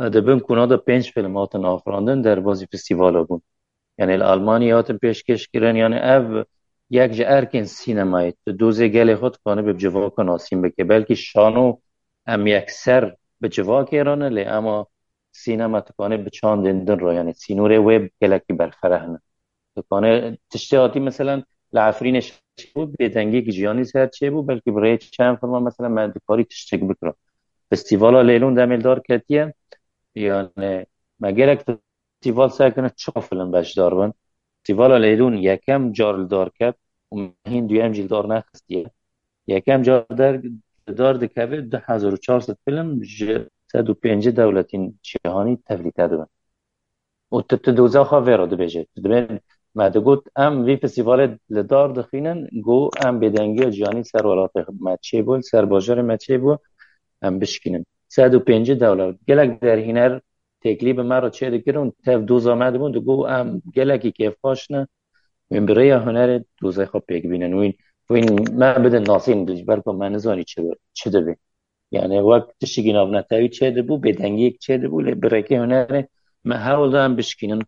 E, di bin kûna de pênc fîlm hatin afirandin, derbazî festîvala bûn. Yani li Almanyayê hatin pêşkêş kirin, yani ev yek ji erkên sînemayê. Tu dozê gelê xwe dikanibe bi civaka nasîn bike. Belkî şano em yekser bi civakê re ne, lê ema sînema dikane bi çandên din re, yani sînorê wê gelekî berfireh ne. Dikane tiştê hatî, meselen, li Efrînê çêbû, bêdengiyekî jiyanî ser çêbû, belkî bi rê çend filma, meselen, me dikarî tiştek bikira. Festîvala Lêlûn demê li dar ketiye, yani me gelek festîval ser kirin, çiqa film beşdar bin. Festîvala Lêlûn yekem car li dar ket û me hîn duyem jî li dar nexistiye. Yekem car der, dar dikeve du hezar û çar sed film ji sed û pêncî dewletên cîhanî tevlî te dibin. Û tu, tu doza xwe vê re dibêje. Tu dibên, me digot, em vî festîvalê li dar dixînin, ku em bêdengiya cîhanî ser welatê me çêbû, ser bajarê me çêbû, em bişkînin. Sed û pêncî dewlet. Gelek derhîner têkilî bi me re çêdikirin, tev doza me dibûn, digot, em gelekî kêfxweş ne, wîn bi rêya hunerê dozayê xwe pêk bînin. Wîn, wîn me bidin nasîn, ji ber ku me nizanî çi, çi dibe. Yani wek tiştekî navnetewî çêdibû, bêdengiyek çêdibû, lê bi rêkê hunerê me hewl da em bişkînin.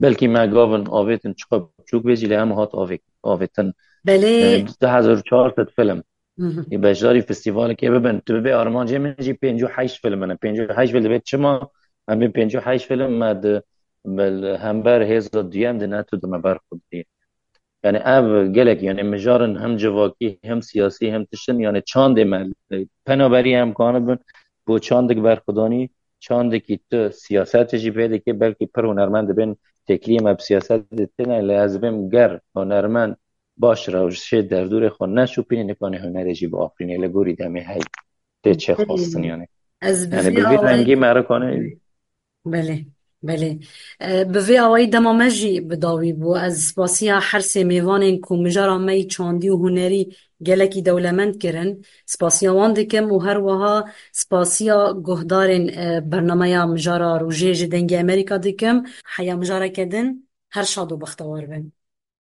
Belkî me gavin avêtin, çiqa biçûk bê jî, lê em hat avê-, avêtin. Belê. Yani du hezar û çar sed film. Hı hı. Ê beşdarî festîvalekê bibin. Tu bibê armancê min jî pêncî û heşt film in. Pêncî û heşt film dibe çima? Em bê pêncî û heşt film me di, me li hember hêza duyem di neto de me berxwedî. Yani ev gelek, yani mijarin hem civakî, hem siyasî, hem tiştin, yani çandê me, penaberî em kanibin bo çandik berxwedanî, çandekî tu siyasetê jî pê dike, belkî pir hunermend dibên têkiliyê me bi siyasetê têne, lê ez dibêm ger hunermend baş rewşê derdorê xwe neşopîne, nikane hunerê jî biafirîne, li gorî demê hey tê çê xwestin yani. Ez bi Yani vê bi vî awayî rengî me re kane Belê. Belê. E, bi vê awayî dema me jî bi dawî bû. Ez spasiya her sê mêvanên ku mijara me yî çandî û hunerî gelekî dewlemend kirin, spasiya wan dikim û her wiha spasiya guhdarên, e, bernameya mijara rojê ji Dengê Amerîka dikim. Heya mijareke din, her şad û bextewar bin.